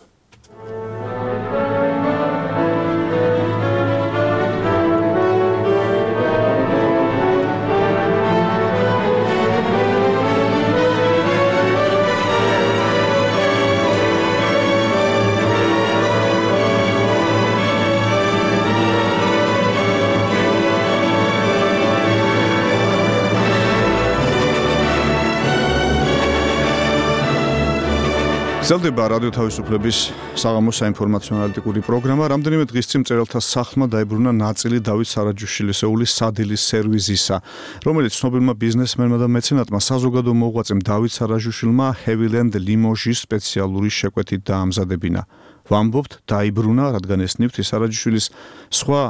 გრძელდება რადიო თავისუფლების საღამოს საინფორმაციო ანალიტიკური პროგრამა. რამდენიმე დღის წინ მწერალთა სახლმა დაიბრუნა ნაწილი დავით სარაჯიშვილისეულის სადილის სერვიზისა, რომელიც ცნობილმა ბიზნესმენმა და მეცენატმა საზოგადო მოღვაწემ დავით სარაჯიშვილმა ჰევილენდ ლიმოჟის სპეციალური შეკვეთით დაამზადებინა. ვამბობთ, დაიბრუნა, რადგან ეს ნივთი სარაჯიშვილის სხვა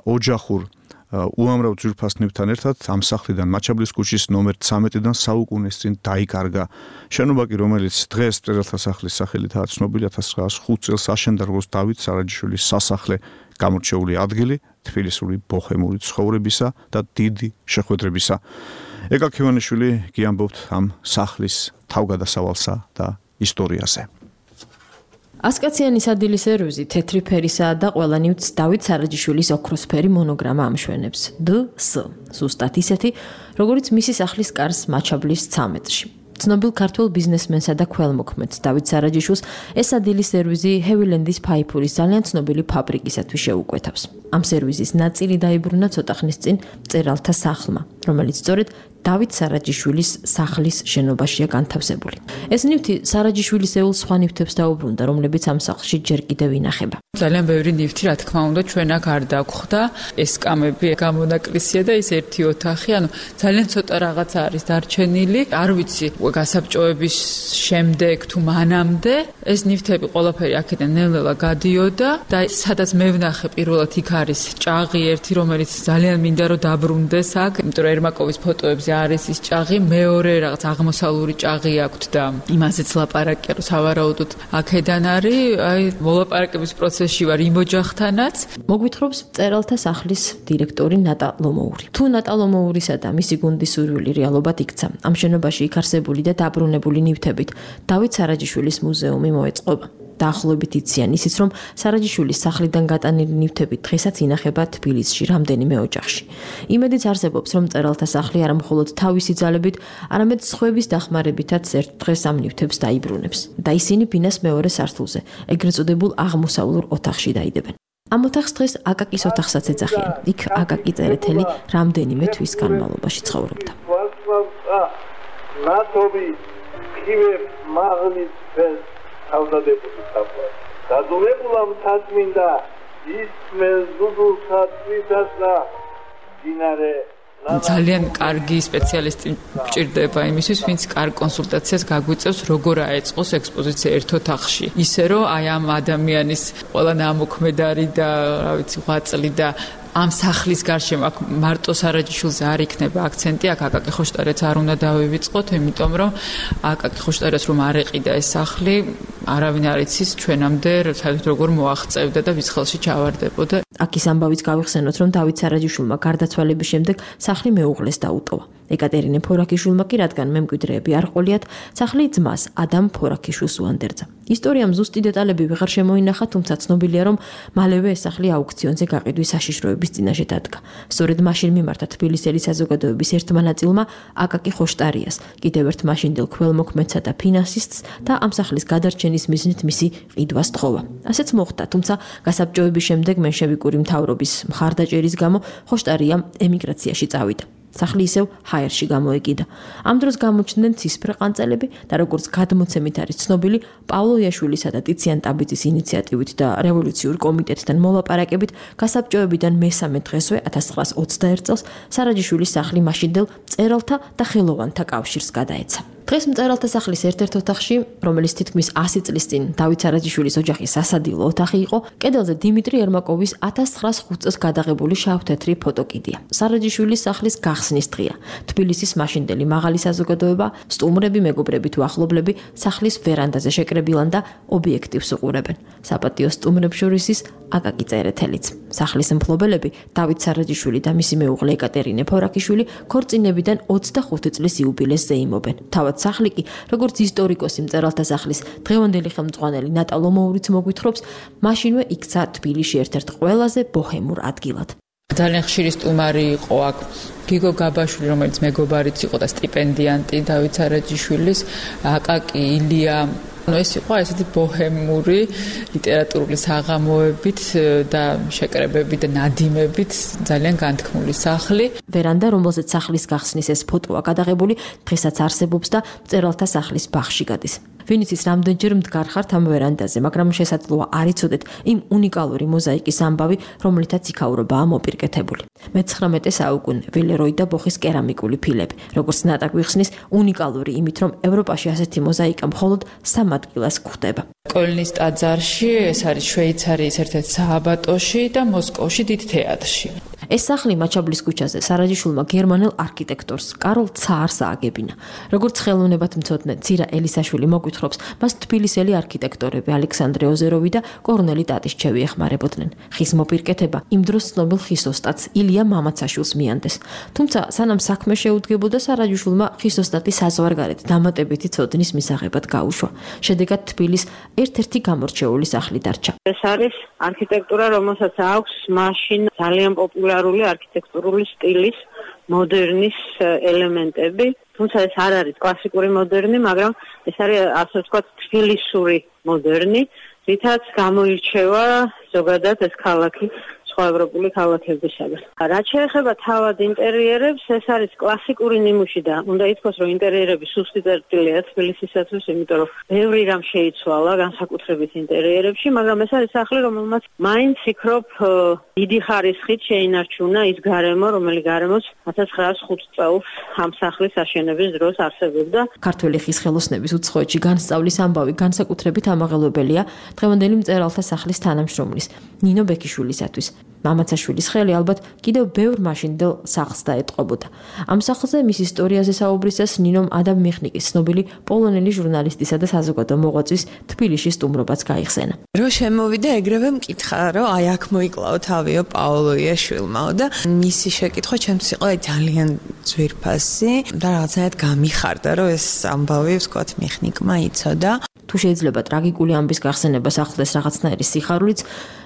ოჯახურ უამრავ ძვირფასნებთან ერთად ამ სახლიდან მაჩაბლის ქუჩის ნომერ ცამეტიდან საუკუნეს წინ დაიკარგა. შენობა კი, რომელიც დღეს მწერალთა სახლის სახელითაა ცნობილი, ათას ცხრაას ხუთ წელს აშენდა როგორც დავით სარაჯიშვილის სასახლე, გამორჩეული ადგილი თბილისური ბოჰემური ცხოვრებისა და დიდი შეხვედრებისა. ეკა ქივანიშვილი გიამბობთ ამ სახლის თავგადასავალსა და ისტორიაზე. ასკაციანი სადილის სერვიზი თეთრი ფერისაა და ყველა ნივთს დავით სარაჯიშვილის ოქროსფერი მონოგრამა ამშვენებს. დ ს ზუსტად ისეთი, როგორც მისი სახლის კარს მაჩაბლის ცამეტში. ცნობილ ქართველ ბიზნესმენსა და ქველმოქმედს დავით სარაჯიშვილს ეს სადილის სერვიზი ჰევილენდის ფაიფურის ძალიან ცნობილი ფაბრიკისათვის შეუკვეთავს. ამ სერვიზის ნაწილი დაიბრუნა ცოტა ხნის წინ მწერალთა სახლმა, რომელიც სწორედ დავით სარაჯიშვილის სახლის შენობაშია განთავსებული. ეს ნივთი სარაჯიშვილისეულ სხვა ნივთებს დაუბრუნდა, რომლებიც ამ სახლში ჯერ კიდევ ინახება. ძალიან ბევრი ნივთი, რა თქმა უნდა, ჩვენ აქ არ დაგვხვდა. ეს კამები გამონაკლისია და ის ერთი ოთახი, ანუ ძალიან ცოტა რაღაც არის დარჩენილი. არ ვიცი, გასაბჭოების შემდეგ თუ მანამდე ეს ნივთები ყველაფერი აქედან ნელ-ნელა გადიოდა და სადაც მე ვნახე პირველად იქ არის ჭაღი ერთი, რომელიც ძალიან მინდა რომ დაბრუნდეს აქ, იმიტომ რომ ერმაკოვის ფოტოებზე არის ის ჭაღი, მეორე რაღაც აღმოსავლური ჭაღი აქვს და იმაზეც ლაპარაკია, რომ სავარაუდოდ აქედან არის, აი მოლაპარაკების პროცესში ვარ იმ ოჯახთანაც. მოგვითხრობს მწერალთა სახლის დირექტორი ნატა ლომოური. თუ ნატა ლომოურისა და მისი გუნდის სურვილი რეალობად იქცა, ამ შენობაში იქ არსებული და დაბრუნებული ნივთებით დავით სარაჯიშვილის მუზეუმი მოეწყობა. დაახლოებით იციან ისიც, რომ სარაჯიშვილის სახლიდან გატანილი ნივთები დღესაც ინახება თბილისში რამდენიმე ოჯახში. იმედიც არსებობს, რომ მწერალთა სახლი არა მხოლოდ თავისი ძალებით, არამედ სხვების დახმარებითაც ერთ დღეს ამ ნივთებს დაიბრუნებს და ისინი ბინას მეორე სართულზე, ეგრეთ წოდებულ აღმოსავლურ ოთახში დაიდებენ. ამ ოთახს დღეს აკაკის ოთახსაც ეძახიან. იქ აკაკი წერეთელი რამდენიმე თვის განმავლობაში ცხოვრობდა. ნათობი ხივე მაღლის ფეს თავდადებული საფლა დადულებულა მთაწმინდა ისმეს დუდულსა თვითას და დინარე ძალიან კარგი სპეციალისტი მჭირდება იმისთვის, ვინც კარგ კონსულტაციას გაგვიწევს, როგორ აეწყოს ექსპოზიცია ერთ ოთახში. ისე რომ აი ამ ადამიანის ყველა ნამოქმედარი და რა ვიცი, ღვაწლი და ამ სახლის გარშემო აქ მარტო სარაჯიშვილზე არ იქნება აქცენტი, აქ აკაკი ხოშტარიც არ უნდა დავივიწყოთ, იმიტომ რომ აკაკი ხოშტარეს რომ არ ეყიდა ეს სახლი, არავინ არ იცის ჩვენამდე საერთოდ როგორ მოაღწევდა და ვის ხელში ჩავარდებოდა. აქის ამბავიც გავიხსენოთ, რომ დავით სარაჯიშვილმა გარდაცვალების შემდეგ სახლი მეუღლეს დაუტოვა. ეკატერინე ფორაქიშვილმა კი, რადგან მემკვიდრეები არ ყოლიათ, სახლი ძმას ადამ ფორაქიშვილს უანდერძა. ისტორიამ ზუსტი დეტალები ვეღარ შემოინახა, თუმცა ცნობილია, რომ მალევე ეს სახლი აუქციონზე გაყიდვის საშიშროების წინაშე დადგა. სწორედ მაშინ მიმართა თბილისელი საზოგადოების ერთმა ნაწილმა აკაკი ხოშტარიას, კიდევ ერთ მაშინდელ ქველმოქმედსა და ფინანსისტს და ამ სახლის გადარჩენის მიზნით მისი ყიდვა სთხოვა. ასეც მოხდა, თუმცა გასაბჭოების შემდეგ მენშევიკური მთავრობის მხარდაჭერის გამო ხოშტარია ემიგრაციაში წავიდა. სახლი ისევ ჰაერში გამოეკიდა. ამ დროს გამოჩნდნენ ცისფრ ყანწელები და როგორც გადმოცემით არის ცნობილი, პავლო იაშვილისა და ტიციან ტაბიძის ინიციატივით და რევოლუციურ კომიტეტთან მოლაპარაკებით გასაბჭოებიდან მესამე დღესვე ათას ცხრაას ოცდაერთ წელს სარაჯიშვილის სახლი მაშინდელ მწერალთა და ხელოვანთა კავშირს გადაეცა. დღეს მწერალთა სახლის ერთ-ერთ ოთახში, რომელიც თითქმის ასი წლის წინ დავით სარაჯიშვილის ოჯახის სასადილო ოთახი იყო, კედელზე დიმიტრი ერმაკოვის ათას ცხრაას ხუთ წელს გადაღებული შავ-თეთრი ფოტოკიდია. სარაჯიშვილის სახლის გახსნის დღეა. თბილისის მაშინდელი მაღალი საზოგადოება, სტუმრები, მეგობრები თუ ახლობლები სახლის ვერანდაზე შეკრებილან და ობიექტივს უყურებენ. საპატიო სტუმრებს შორის ის აკაკი წერეთელიც. სახლის მფლობელები დავით სარაჯიშვილი და მისი მეუღლე ეკატერინე ფორაქიშვილი ქორწინებიდან ოცდახუთი წლის იუბილეს ზეიმობენ. თავად სახლი კი, როგორც ისტორიკოსი მწერალთა სახლის დღევანდელი ხელმძღვანელი ნატა ლომოურიც მოგვითხრობს, მაშინვე იქცა თბილისში ერთ-ერთ ყველაზე ბოჰემურ ადგილად. ძალიან ხშირი სტუმარი იყო აქ გიგო გაბაშვილი, რომელიც მეგობარიც იყო და სტიპენდიანტი დავით სარაჯიშვილის, აკაკი ილია. ანუ ეს იყო ესეთი ბოჰემური ლიტერატურული საღამოებით და შეკრებებით და ნადიმებით ძალიან განთქმული სახლი. ვერანდა, რომელზეც სახლის გახსნის ეს ფოტოა გადაღებული, დღესაც არსებობს და მწერალთა სახლის ბაღში გადის. ვინც ის რამდენჯერ მდგარ ხართ ამ ვერანდაზე, მაგრამ შესაძლოა არ იცოდეთ იმ უნიკალური მოზაიკის ამბავი, რომლითაც იქაურობაა მოპირკეთებული. მეცხრამეტე საუკუნე ვილეროი და ბოხის კერამიკული ფილები, როგორც ნატაკ ვიხსნის, უნიკალური იმით, რომ ევროპაში ასეთი მოზაიკა მხოლოდ სამ ადგილას გვხვდება. კოლნის ტაძარში, ეს არის შვეიცარიის ერთ-ერთ სააბატოში და მოსკოვში დიდ თეატრში. ეს სახლი მაჩაბლის ქუჩაზე სარაჯიშვილმა გერმანელ არქიტექტორს კარლ ცაარს ააგებინა. როგორც ხელოვნებად მცოდნე ცირა ელისაშვილი მოგვითხრობს, მას თბილისელი არქიტექტორები ალექსანდრე ოზეროვი და კორნელი ტატისჩევი ეხმარებოდნენ. ხის მოპირკეთება იმ დროს ცნობილ ხის ოსტატს ილია მამაცაშვილს მიანდეს. თუმცა სანამ საქმე შეუდგებოდა, სარაჯიშვილმა ხის ოსტატის საზღვარგარეთ დამატებითი ცოდნის მისაღებად გაუშვა. შედეგად თბილის ერთ-ერთი გამორჩეული სახლი დარჩა. ეს არის არქიტექტურა, რომელსაც აქვს მაშინ ძალიან პოპულარული არქიტექტურული სტილის მოდერნის ელემენტები, თუმცა ეს არ არის კლასიკური მოდერნი, მაგრამ ეს არის ასე ვთქვათ თბილისური მოდერნი, რითაც გამოირჩევა ზოგადად ეს ქალაქი სხვა ევროპული ქალაქებისაგან. რაც შეეხება თავად ინტერიერებს, ეს არის კლასიკური ნიმუში და უნდა ითქვას, რომ ინტერიერები სუსტი წერტილია თბილისისათვის, იმიტომ რომ ბევრი რამ შეიცვალა განსაკუთრებით ინტერიერებში, მაგრამ ეს არის სახლი, რომელმაც მაინც იქრობ დიდი ხარისხით შეინარჩუნა ის გარემო, რომელიც გარემოც ათას ცხრაას ხუთ წელს ამ სახლის აშენების დროს არსებობდა. ქართველი ხის ხელოსნების უცხოეთში განსწავლის ამბავი განსაკუთრებით ამაღელვებელია დღევანდელი მწერალთა სახლის თანამშრომლის ნინო ბექიშვილისათვის. მამაცაშვილის ხელი ალბათ კიდევ ბევრ მაშინდელ სახლს დაეტყობოდა. ამ სახლზე მის ისტორიაზე საუბრისას ნინომ ადამ მიხნიკის ცნობილი პოლონელი ჟურნალისტისა და საზოგადო მოღვაწის თბილისში სტუმრობაც გაიხსენა. რო შემოვიდა ეგრევე მკითხა, რომ აი აქ მოიკლაო თავიო პაოლო იაშვილმაო და მისი შეკითხვა ჩემთვის იყო ძალიან ძვირფასი და რაღაცნაირად გამიხარდა, რომ ეს ამბავი ვთქვათ მიხნიკმა იცოდა. თუ შეიძლება ტრაგიკული ამბის გახსენება სახლდეს რაღაცნაირი სიხარულიც,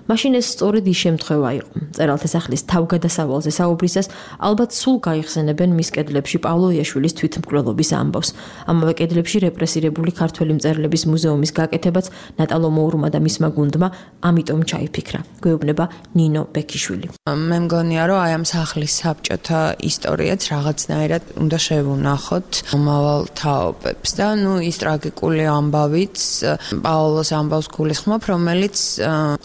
მაშინ ეს სწორედ ის შემთხვევა იყო. მწერალთა სახლის თავგადასავალზე საუბრისას ალბათ სულ გაიხსენებენ მის კედლებში პავლო იაშვილის თვითმკვლელობის ამბავს. ამავე კედლებში რეპრესირებული ქართველი მწერლების მუზეუმის გაკეთებაც ნატალო მოურმა და მისმა გუნდმა ამიტომ ჩაიფიქრა. გვეუბნება ნინო ბექიშვილი. მე მგონია, რომ აი ამ სახლის საბჭოთა ისტორიაც რაღაცნაირად უნდა შევუნახოთ მომავალ თაობებს და ნუ ის ტრაგიკული ამბავიც პაოლოს ამბავს გულისხმობ, რომელიც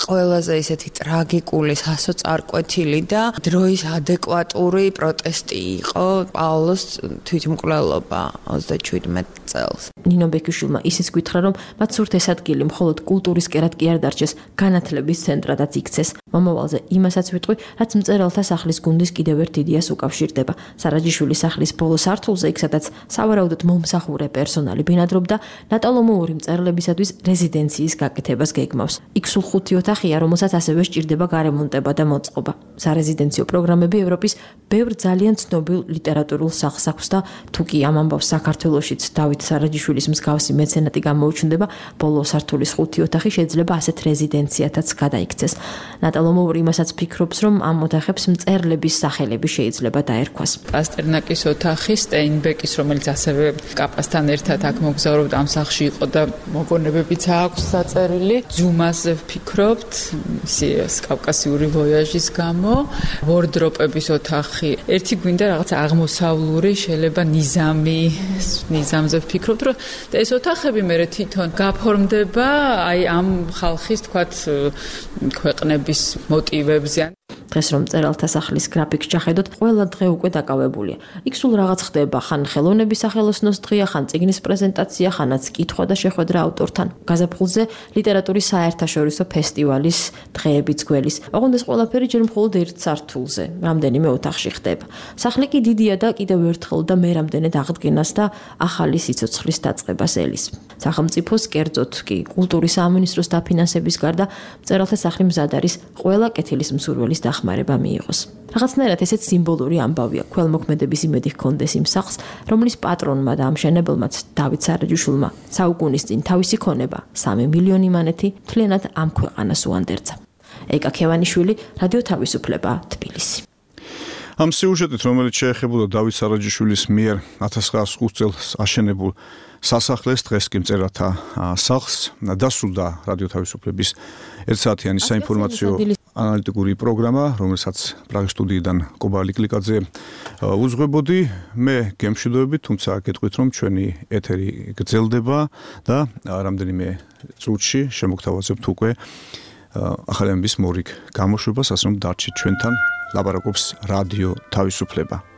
ყველაზე ისეთი ტრაგიკული, სასოწარკვეთილი და დროის ადეკვატური პროტესტი იყო პაოლოს თვითმკვლელობა ოცდაშვიდმეტ წელს. ნინო ბექიშვილმა ისიც გითხრა, რომ მათ სურთ ეს ადგილი მხოლოდ კულტურის კერად კი არ დარჩეს, განათლების ცენტრადაც იქცეს. მომავალზე იმასაც ვიტყვი, რაც მწერალთა სახლის გუნდის კიდევ ერთ იდეას უკავშირდება. სარაჯიშვილის სახლის ბოლო სართულზე, იქ სადაც სავარაუდოდ მომსახურე პერსონალი ბინადრობდა, ნატალო მოური მწერლებისათვის რეზიდენციის გაკეთებას გეგმავს. იქ სულ ხუთი ოთახია, რომელსაც ასევე სჭირდება გარემონტება და მოწყობა. სარეზიდენციო პროგრამები ევროპის ბევრ ძალიან ცნობილ ლიტერატურულ სახლს აქვს და თუ კი ამ ამბავს საქართველოშიც დავით სარაჯიშვილის მსგავსი მეცენატი გამოუჩნდება, ბოლო სართულის ხუთი ოთახი შეიძლება ასეთ რეზიდენციათაც გადაიქცეს. ნატალო მოური იმასაც ფიქრობს, რომ ამ ოთახებს მწერლების სახელები შეიძლება დაერქვას. პასტერნაკის ოთახი, სტეინბეკის, რომელიც ასევე კაპასთან ერთად აქ მოგზაურობდა, ამ სახლში იყო და მოგონებებიც აქვს დაწერილი. ძუმაზე ვფიქრობთ, ისი კავკასიური ვოიაჟის გამო, ვორდროპების ოთახი. ერთი გვინდა რაღაც აღმოსავლური, შეიძლება ნიზამი, ნიზამზე ვფიქრობთ, რომ ეს ოთახები მე თვითონ გაფორმდება აი ამ ხალხის, თქვათ, ქვეყნების მოტივებზე. დღეს რომ მწერალთა სახლის გრაფიკს ჩახედოთ, ყველა დღე უკვე დაკავებულია. იქ სულ რაღაც ხდება, ხან ხელოვნების სახელოსნოს დღეა, ხან წიგნის პრეზენტაცია, ხანაც კითხვა და შეხვედრა ავტორთან. გაზაფხულზე ლიტერატურის საერთაშორისო ფესტივალის დღეებიც გველის. ოღონდ ეს ყველაფერი ჯერ მხოლოდ ერთ სართულზე, რამდენიმე ოთახში ხდება. სახლი კი დიდია და კიდევ ერთხელ და მე რამდენად აღდგენას და ახალი სიცოცხლის დაწყებას ელის. სახელმწიფოს, კერძოდ კი კულტურის სამინისტროს დაფინანსების გარდა, მწერალთა სახლი მზად არის ყველა კეთილის მსურველის დახმარება მიიღოს. რაღაცნაირად ესეც სიმბოლური ამბავია, ქველმოქმედების იმედი ჰქონდეს იმ სახლს, რომლის პატრონმა და ამშენებელმაც დავით სარაჯიშვილმა საუკუნის წინ თავისი ქონება სამი მილიონი მანეთი მთლიანად ამ ქვეყანას უანდერძა. ეკა ქევანიშვილი, რადიო თავისუფლება, თბილისი. ამ სიუჟეტით, რომელიც შეეხებოდა დავით სარაჯიშვილის მიერ ათას ცხრაას ხუთ წელს აშენებულ სასახლეს, დღეს კი მწერალთა სახლს დასრულდა რადიო თავისუფლების ერთ საათიანი საინფორმაციო ანალიტიკური პროგრამა, რომელსაც პრაღის სტუდიიდან კობალი კლიკაძე უძღვებოდი. მე გემშვიდობები, თუმცა გეტყვით, რომ ჩვენი ეთერი გრძელდება და რამდენიმე წუთში შემოგთავაზებთ უკვე ახალი ამბის მორიგ გამოშვებას, ასე რომ დარჩით ჩვენთან, ლაპარაკობს რადიო თავისუფლება.